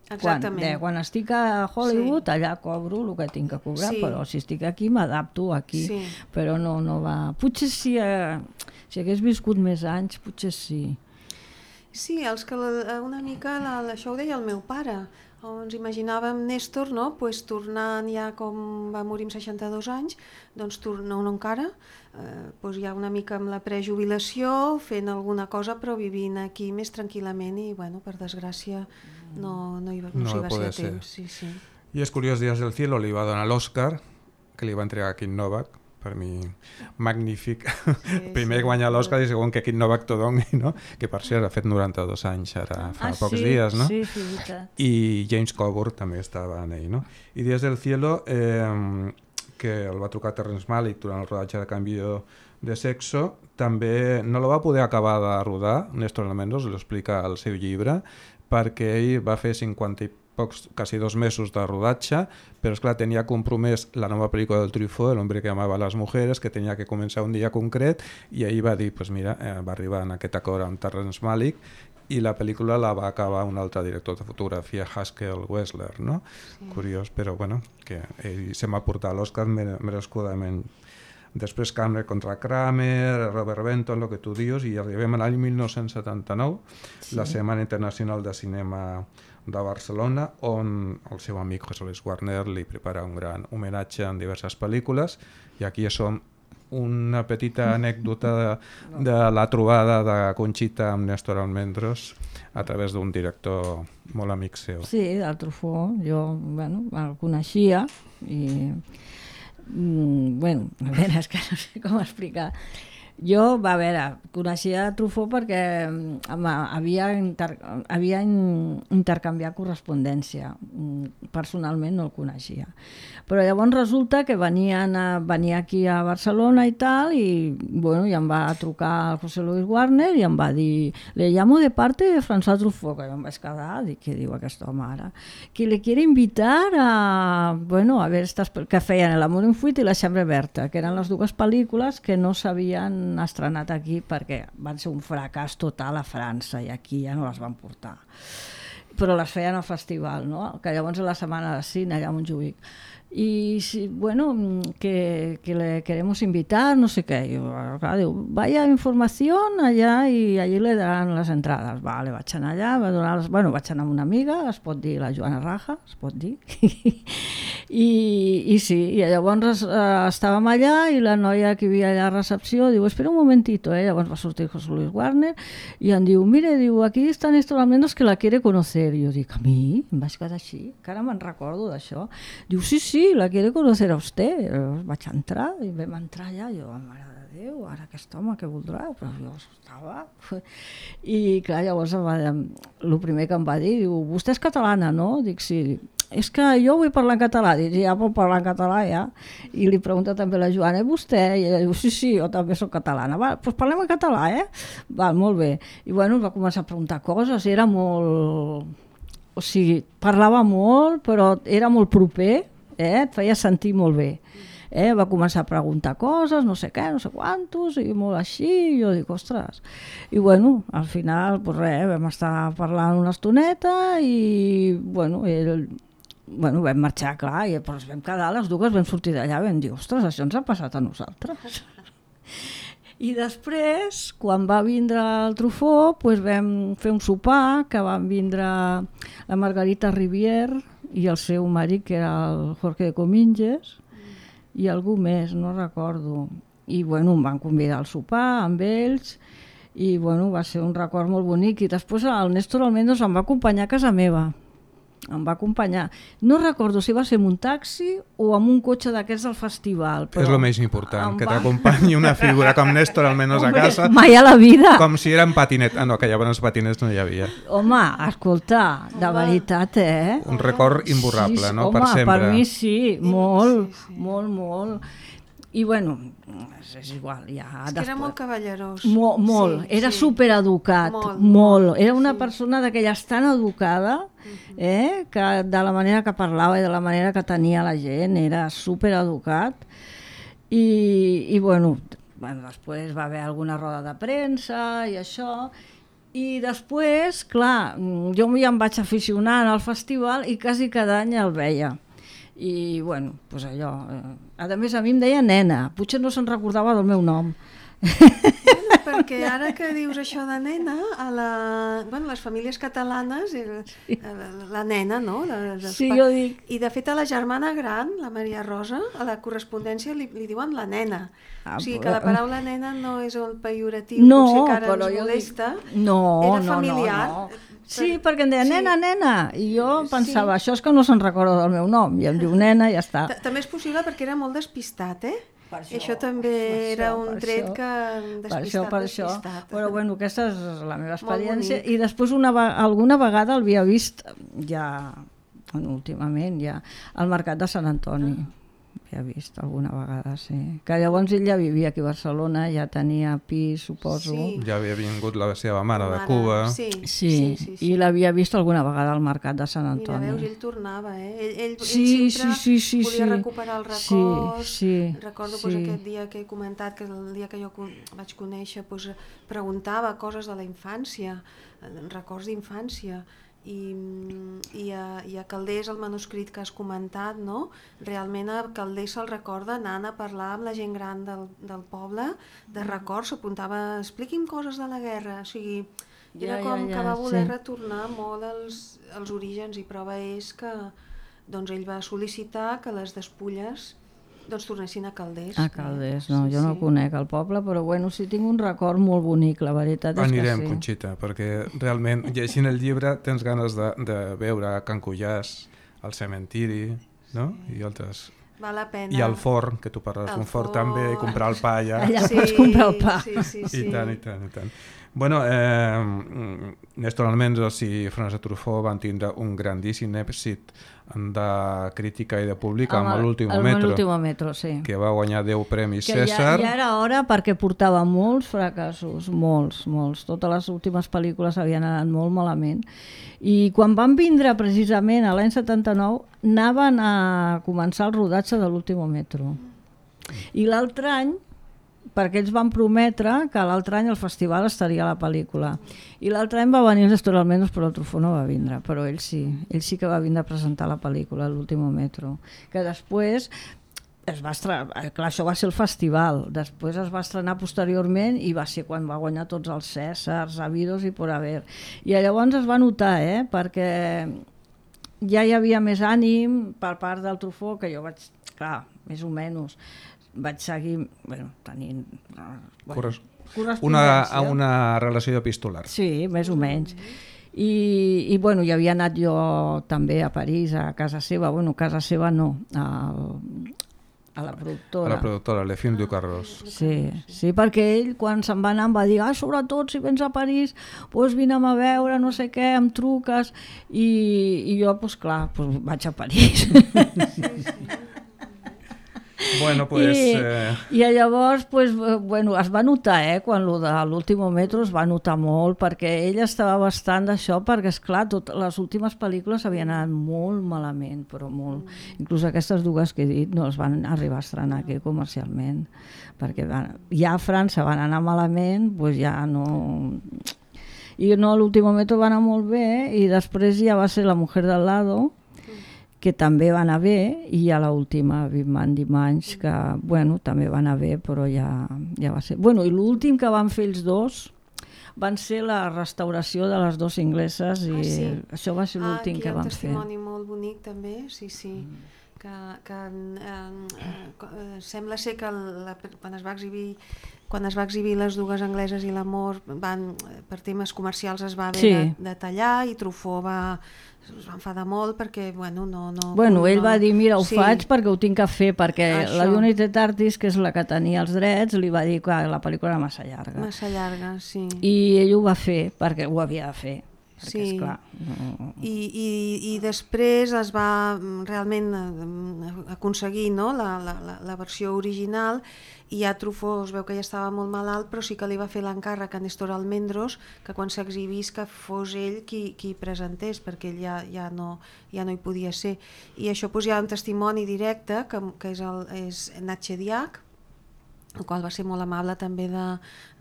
Exactament. Quan, bé, quan estic a Hollywood, sí. Allà cobro el que tinc que cobrar, sí. Però si estic aquí m'adapto aquí, sí. Però no, no va... Potser si, eh, si hagués viscut més anys, potser sí. Sí, els que la, una mica, la, això ho deia el meu pare, ens imaginàvem Néstor, no? Pues, tornant ja com va morir amb seixanta-dos anys, doncs torna no encara, eh, pues, ja una mica amb la prejubilació, fent alguna cosa però vivint aquí més tranquil·lament i bueno, per desgràcia no, no, hi va, no, no s'hi va ser a temps. Sí, sí. I és curiós, Días del Cielo li va donar l'Oscar, que li va entregar a Kim Novak, per mi magnífic. Sí, primer sí, guanyar l'Oscar i segon que Kim Novak t'ho doni, no? Que per cert ha fet noranta-dos anys ara fa ah, pocs sí, dies, no? Sí, sí, veritat. I James Coburn també estava en ell, no? I Días del Cielo, eh, que el va trucar Terrence Malick durant el rodatge de Cambio de Sexo, també no la va poder acabar de rodar, Néstor Almendros l'ho explica al seu llibre, perquè ell va fer cinquanta i pocs, quasi dos mesos de rodatge, però esclar, tenia compromès la nova pel·lícula del Truffaut, El hombre que amava les mujeres, que tenia que començar un dia concret, i ahir va dir, pues mira, eh, va arribar en aquest acord amb Terrence Malick, i la pel·lícula la va acabar un altre director de fotografia, Haskell Wessler, no? Sí. Curiós, però bueno, que ell se m'ha portat l'Oscar merescudament. Després Kramer contra Kramer, Robert Benton, el que tu dius, i arribem a l'any mil nou-cents setanta-nou, sí. La Setmana Internacional de Cinema de Barcelona, on el seu amic José Luis Warner li prepara un gran homenatge en diverses pel·lícules, i aquí som una petita anècdota de, de la trobada de Conxita amb Néstor Almendros a través d'un director molt amic seu. Sí, del Truffaut, jo bueno, el coneixia i mm, bueno, a veure, és que no sé com explicar. Jo, va, a veure, coneixia Truffaut perquè home, havia, inter, havia intercanviat correspondència. Personalment no el coneixia. Però llavors resulta que venien a, venia aquí a Barcelona i tal, i, bueno, i em va trucar el José Luis Warner i em va dir, le llamo de parte de François Truffaut, que jo em vaig quedar, dic, què diu aquest home ara? Que le quiere invitar a, bueno, a ver estas, que feien El amor en fuite i La Chambre Berta, que eren les dues pel·lícules que no s'havien estrenat aquí perquè van ser un fracàs total a França i aquí ja no les van portar. Però les feien al festival, no? Que llavors és la setmana de cine allà a Montjuïc. Y bueno, que, que le queremos invitar, no sé qué. Y yo, claro, digo, vaya información allá y allí le darán les entrades. Vale, vaig anar allà, va donar les, bueno, vaig anar amb una amiga, es pot dir la Joana Raja, es pot dir. I, I sí, i llavors eh, estàvem allà i la noia que hi havia allà a recepció diu, espera un momentito, eh? Llavors va sortir José Luis Warner i em diu, mire, diu, aquí està Néstor Almendros que la quiere conocer. I jo dic, a mi? Em vaig quedar així, que ara me'n recordo d'això. Diu, sí, sí, la quiere conocer a usted. Vaig entrar i vam entrar allà i jo, mare de Déu, ara aquest home què voldrà? Però jo estava... I clar, llavors el primer que em va dir, diu, vostè és catalana, no? Dic, sí. És que jo vull parlar en català. Dic, ja pot parlar en català, ja. I li pregunta també la Joana, i vostè? I ella diu, sí, sí, jo també soc catalana. Va, doncs parlem en català, eh? Val, molt bé. I bueno, va començar a preguntar coses, era molt... O sigui, parlava molt, però era molt proper, eh? Et feia sentir molt bé. Eh? Va començar a preguntar coses, no sé què, no sé quantos, i molt així, i jo dic, ostres. I bueno, al final, pues res, vam estar parlant una estoneta i, bueno, ell, bueno, vam marxar, clar, i però ens vam quedar, les dues vam sortir d'allà, vam dir, ostres, això ens ha passat a nosaltres. I després, quan va vindre el Truffaut, pues vam fer un sopar, que van vindre la Margarita Rivier i el seu marit, que era el Jorge de Cominges, i algú més, no recordo. I bueno, em van convidar al sopar amb ells i bueno, va ser un record molt bonic. I després el Néstor Almendros em va acompanyar a casa meva. Em va acompanyar. No recordo si va ser en un taxi o amb un cotxe d'aquests del festival. És el més important, que va... t'acompanyi una figura com Néstor Almendros a casa. Mai a la vida. Com si era en patinet. Ah, no, que llavors patinets no hi havia. Home, escolta, de veritat, eh? Un record imborrable, sí, no? Home, per sempre. Per mi sí, molt, sí, sí. molt, molt. I bueno, és igual. Ja, és que era molt cavallerós. Mo, molt, sí, era sí. supereducat, molt, molt. Era una sí. persona d'aquelles tan educada, eh, que de la manera que parlava i de la manera que tenia la gent, era supereducat. I, i bueno, bueno, després va haver alguna roda de premsa i això, i després, clar, jo ja em vaig aficionar al festival i quasi cada any el veia. I bueno, doncs allò, a més a mi em deia nena, potser no se'n recordava del meu nom. Per perquè ara que dius això de nena, a la, bueno, les famílies catalanes, sí. la, la nena, no? La, sí, jo dic... I de fet a la germana gran, la Maria Rosa, a la correspondència li, li diuen la nena. Ah, o sigui que la paraula nena no és el pejoratiu, no, potser que ara ens molesta. Dic... No, era no, familiar. no, no. Sí, perquè em deia nena, sí. nena, i jo pensava, sí. això és que no se'n recorda del meu nom, i em diu nena i ja està. També és possible perquè era molt despistat, eh? Per això, això també això, era un tret això, que despistat, per això, per despistat. Això. Però bueno, aquesta és la meva experiència. I després una, alguna vegada l'havia vist ja, últimament, ja, al Mercat de Sant Antoni. Ah. Havia vist alguna vegada, sí. Que llavors ell ja vivia aquí a Barcelona, ja tenia pis, suposo. Sí. Ja havia vingut la seva mare de Cuba. Sí, sí, sí, sí, sí. I l'havia vist alguna vegada al Mercat de Sant Antoni. Mira, veus, ell tornava, eh? Ell, ell, sí, ell sempre sí, sí, sí, volia sí. recuperar el record. Sí, sí, Recordo sí. Pues, aquest dia que he comentat, que el dia que jo vaig conèixer, pues, preguntava coses de la infància, records d'infància. I, i, a, i a Calders, el manuscrit que has comentat, no? Realment a Calders se'l recorda anant a parlar amb la gent gran del, del poble, de records, s'apuntava, expliqui'm coses de la guerra, o sigui, era ja, com ja, ja, que va voler sí. retornar molt als, als orígens, i prova és que doncs, ell va sol·licitar que les despulles doncs tornessin a Calders. A Calders, no, sí, jo no sí. conec el poble, però bueno, sí tinc un record molt bonic, la veritat és Anirem, que sí. Conxita, perquè realment llegint el llibre tens ganes de, de veure Can Cullàs, el cementiri, no? Sí. I altres... Val la pena. I el forn, que tu parles d'un forn també, i comprar el pa allà. Allà sí, pots comprar el pa. Sí, sí, sí. I tant, i tant, i tant. Bueno, eh, Néstor Almendros i Francesc Truffaut van tindre un grandíssim èxit de crítica i de públic amb, amb l'Último Metro, metro sí. que va guanyar deu premis que César. Ja, ja era hora perquè portava molts fracassos, molts, molts. Totes les últimes pel·lícules havien anat molt malament. I quan van vindre precisament a l'any setanta-nou anaven a començar el rodatge de l'Último Metro. I l'altre any, perquè ells van prometre que l'altre any al festival estaria la pel·lícula. I l'altre any va venir Néstor Almendros, però el Truffaut no va vindre, però ell sí, ell sí que va vindre a presentar la pel·lícula, l'Último Metro, que després es va estrenar, clar, això va ser el festival, després es va estrenar posteriorment i va ser quan va guanyar tots els Cèsars, Habidos i por haver. I llavors es va notar, eh, perquè ja hi havia més ànim per part del Truffaut, que jo vaig, clar, més o menys, vaig seguir, bueno, tenint... Bueno, Corres... una, una relació epistolar. Sí, més o menys. I, i bueno, hi havia anat jo també a París, a casa seva, bueno, casa seva no, a, a la productora. A la productora, Le Film du Carros. Sí, sí, perquè ell quan se'n va anar em va dir, ah, sobretot si vens a París, doncs vine'm a veure, no sé què, em truques, i, i jo, doncs clar, doncs vaig a París. Sí, sí. Bueno, pues, I, eh... i llavors pues, bueno, es va notar, eh, quan lo de l'Último Metro es va notar molt, perquè ell estava bastant d'això, perquè esclar, tot, les últimes pel·lícules havien anat molt malament, però molt. Inclús aquestes dues que he dit no es van arribar a estrenar aquí comercialment, perquè van, ja a França van anar malament, pues ja no... I no, l'Último Metro va anar molt bé, i després ja va ser La mujer del lado, que també va anar bé, i a l'última Vivement Dimanche, que bueno, també va anar bé, però ja, ja va ser... Bueno, i l'últim que van fer els dos van ser la restauració de les dues ingleses, i ah, sí? Això va ser l'últim ah, que van fer. Hi ha un testimoni molt bonic també, sí, sí, mm. que, que eh, eh, sembla ser que la, quan es va exhibir quan es va exhibir les dues angleses i l'amor, van, per temes comercials es va haver sí. de, de tallar, i Truffaut va, es va enfadar molt perquè, bueno, no... no bueno, no, ell va dir, mira, ho sí. faig perquè ho tinc que fer, perquè Això. La United Artists, que és la que tenia els drets, li va dir que la pel·lícula era massa llarga. Massa llarga, sí. I ell ho va fer, perquè ho havia de fer. Perquè, sí, esclar, no... I, i, i després es va realment aconseguir, no? la, la, la versió original, i ja Truffaut es veu que ja estava molt malalt, però sí que li va fer l'encàrrec a Néstor Almendros que quan s'exhibís que fos ell qui, qui presentés, perquè ell ja, ja, no, ja no hi podia ser. I això doncs, hi ha un testimoni directe que, que és, el, és Natche Diach, el qual va ser molt amable també de,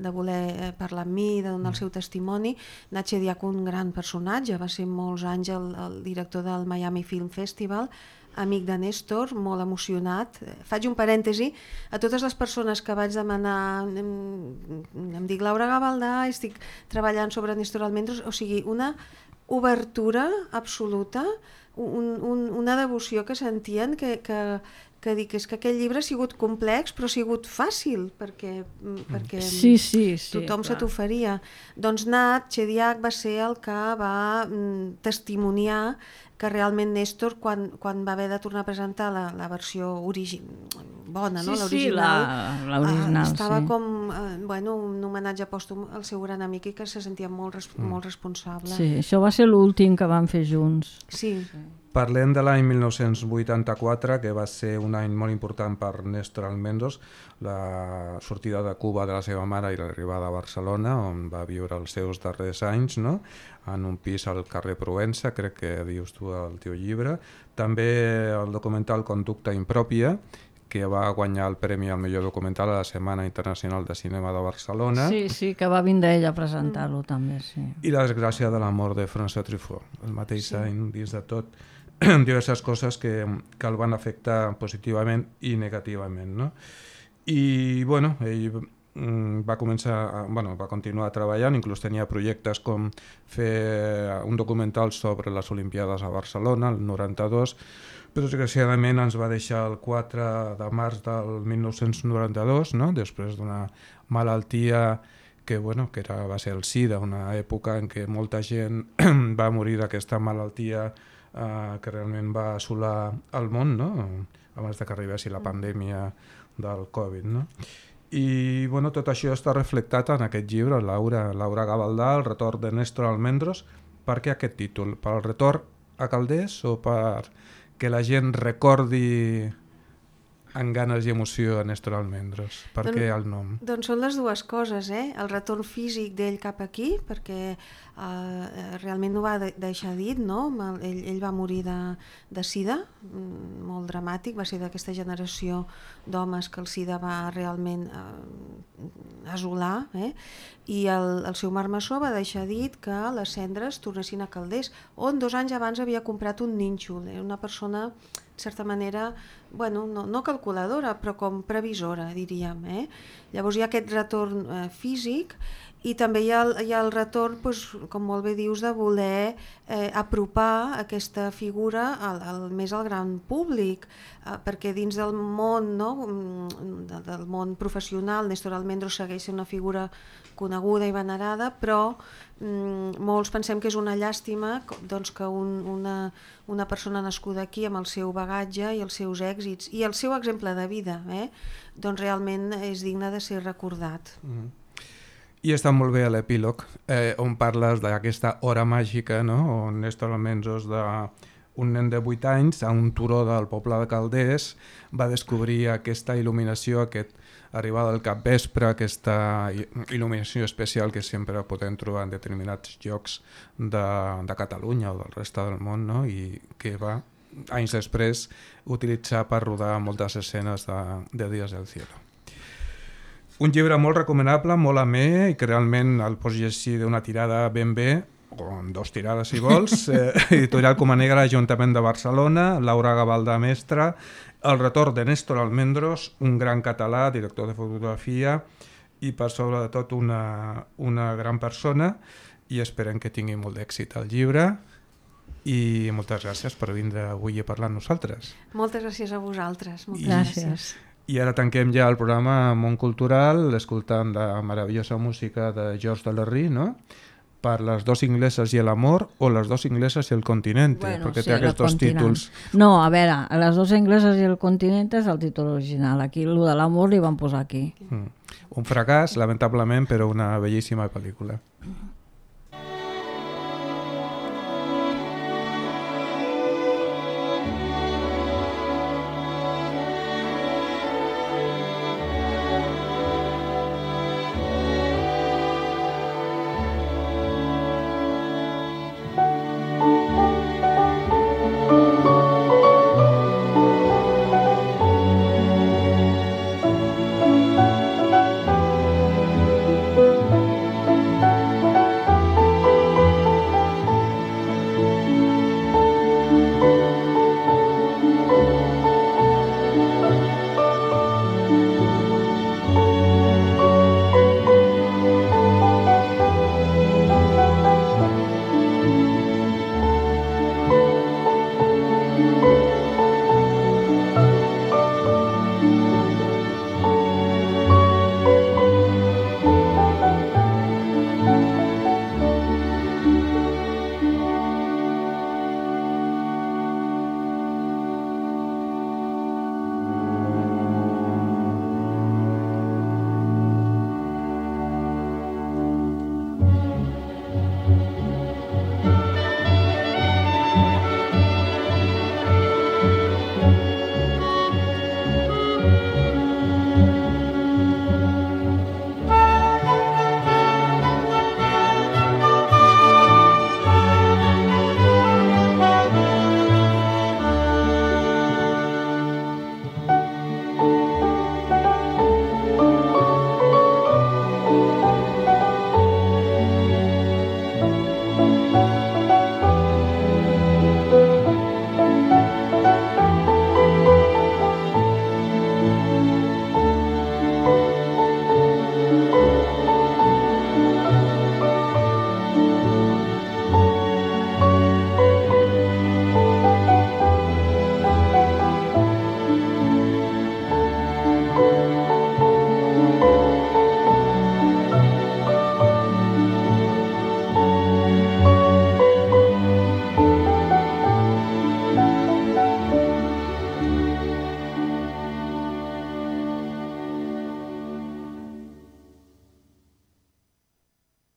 de voler parlar amb mi, de donar el seu testimoni. Natche Diach, un gran personatge, va ser molts anys el, el director del Miami Film Festival, amic de Néstor, molt emocionat. Faig un parèntesi a totes les persones que vaig demanar, em, em dic Laura Gavaldà, estic treballant sobre Néstor Almendros, o sigui, una obertura absoluta, un, un, una devoció que sentien que, que, que dic, és que aquell llibre ha sigut complex però ha sigut fàcil perquè, perquè sí, sí, sí, tothom clar. se t'oferia. Doncs Nat Chediak va ser el que va mm, testimoniar que realment Néstor, quan, quan va haver de tornar a presentar la, la versió origi... bona, sí, no? L'original, sí, l'original, eh, estava sí. com eh, bueno, un homenatge pòstum al seu gran amic i que se sentia molt, res, mm. molt responsable. Sí, això va ser l'últim que van fer junts. Sí. sí. Parlem de l'any mil nou-cents vuitanta-quatre, que va ser un any molt important per Néstor Almendros, la sortida de Cuba de la seva mare i l'arribada a Barcelona, on va viure els seus darrers anys, no? En un pis al carrer Provença, crec que dius tu al teu llibre. També el documental Conducta Impròpia, que va guanyar el premi al millor documental a la Setmana Internacional de Cinema de Barcelona. Sí, sí, que va vindre ella a presentar-lo mm. també, sí. I La desgràcia de la mort de François Truffaut, el mateix sí. any, dins de tot, diverses coses que, que el van afectar positivament i negativament, no? I, bueno, ell mm, va començar, a, bueno, va continuar treballant, inclús tenia projectes com fer un documental sobre les Olimpiades a Barcelona, el noranta-dos, però desgraciadament ens va deixar el quatre de març del mil nou-cents noranta-dos, no? Després d'una malaltia que, bueno, que era, va ser el SIDA, una època en què molta gent va morir d'aquesta malaltia eh, que realment va assolar el món, no? Abans de que arribessi la pandèmia del Covid, no? I bueno, tot això està reflectat en aquest llibre, Laura, Laura Gavaldà, El retorn de Néstor Almendros. Per què aquest títol? Per el retorn a Calders o per que la gent recordi amb ganes i emoció a Néstor Almendros? Per què el nom? Doncs són les dues coses, eh? El retorn físic d'ell cap aquí, perquè eh, realment ho va de deixar dit, no? Ell, ell va morir de, de sida, molt dramàtic, va ser d'aquesta generació d'homes que el sida va realment eh, asolar, eh? I el, el seu marmessor va deixar dit que les cendres tornessin a Calders, on dos anys abans havia comprat un nínxol. Era una persona, en certa manera, bueno, no, no calculadora, però com previsora, diríem. Eh? Llavors hi ha aquest retorn eh, físic i també hi ha el, hi ha el retorn, doncs, com molt bé dius, de voler eh, apropar aquesta figura al, al, més al gran públic, eh, perquè dins del món, no, del, del món professional, Néstor Almendros segueix sent una figura coneguda i venerada, però mm, molts pensem que és una llàstima doncs, que un, una, una persona nascuda aquí amb el seu bagatge i els seus èxits i el seu exemple de vida, eh, doncs realment és digne de ser recordat. Mm. I està molt bé l'epílog, eh, on parles d'aquesta hora màgica, no? On Néstor Almendros, de un nen de vuit anys, a un turó del poble de Calders, va descobrir aquesta il·luminació, aquest arribada al capvespre, aquesta il·luminació especial que sempre podem trobar en determinats llocs de, de Catalunya o del reste del món, no? I que va, anys després, utilitzar per rodar moltes escenes de, de Días del Cielo. Un llibre molt recomanable, molt amè, i que realment el pots llegir d'una tirada ben bé, o en dos tirades si vols, eh, Editorial Comanegra, Ajuntament de Barcelona, Laura Gavaldà, mestra, El retorn de Néstor Almendros, un gran català, director de fotografia, i per sobre de tot una, una gran persona, i esperem que tingui molt d'èxit el llibre, i moltes gràcies per vindre avui a parlar amb nosaltres. Moltes gràcies a vosaltres. Moltes I, gràcies. I ara tanquem ja el programa Món Cultural, escoltant la meravellosa música de George Delerry, no? Per Les dos ingleses i l'amor o Les dos ingleses i el continente, bueno, perquè sí, té aquests dos títols. No, a veure, Les dos ingleses i el continente és el títol original. Aquí, el de l'amor li van posar aquí. Mm. Un fracàs, lamentablement, però una bellíssima pel·lícula.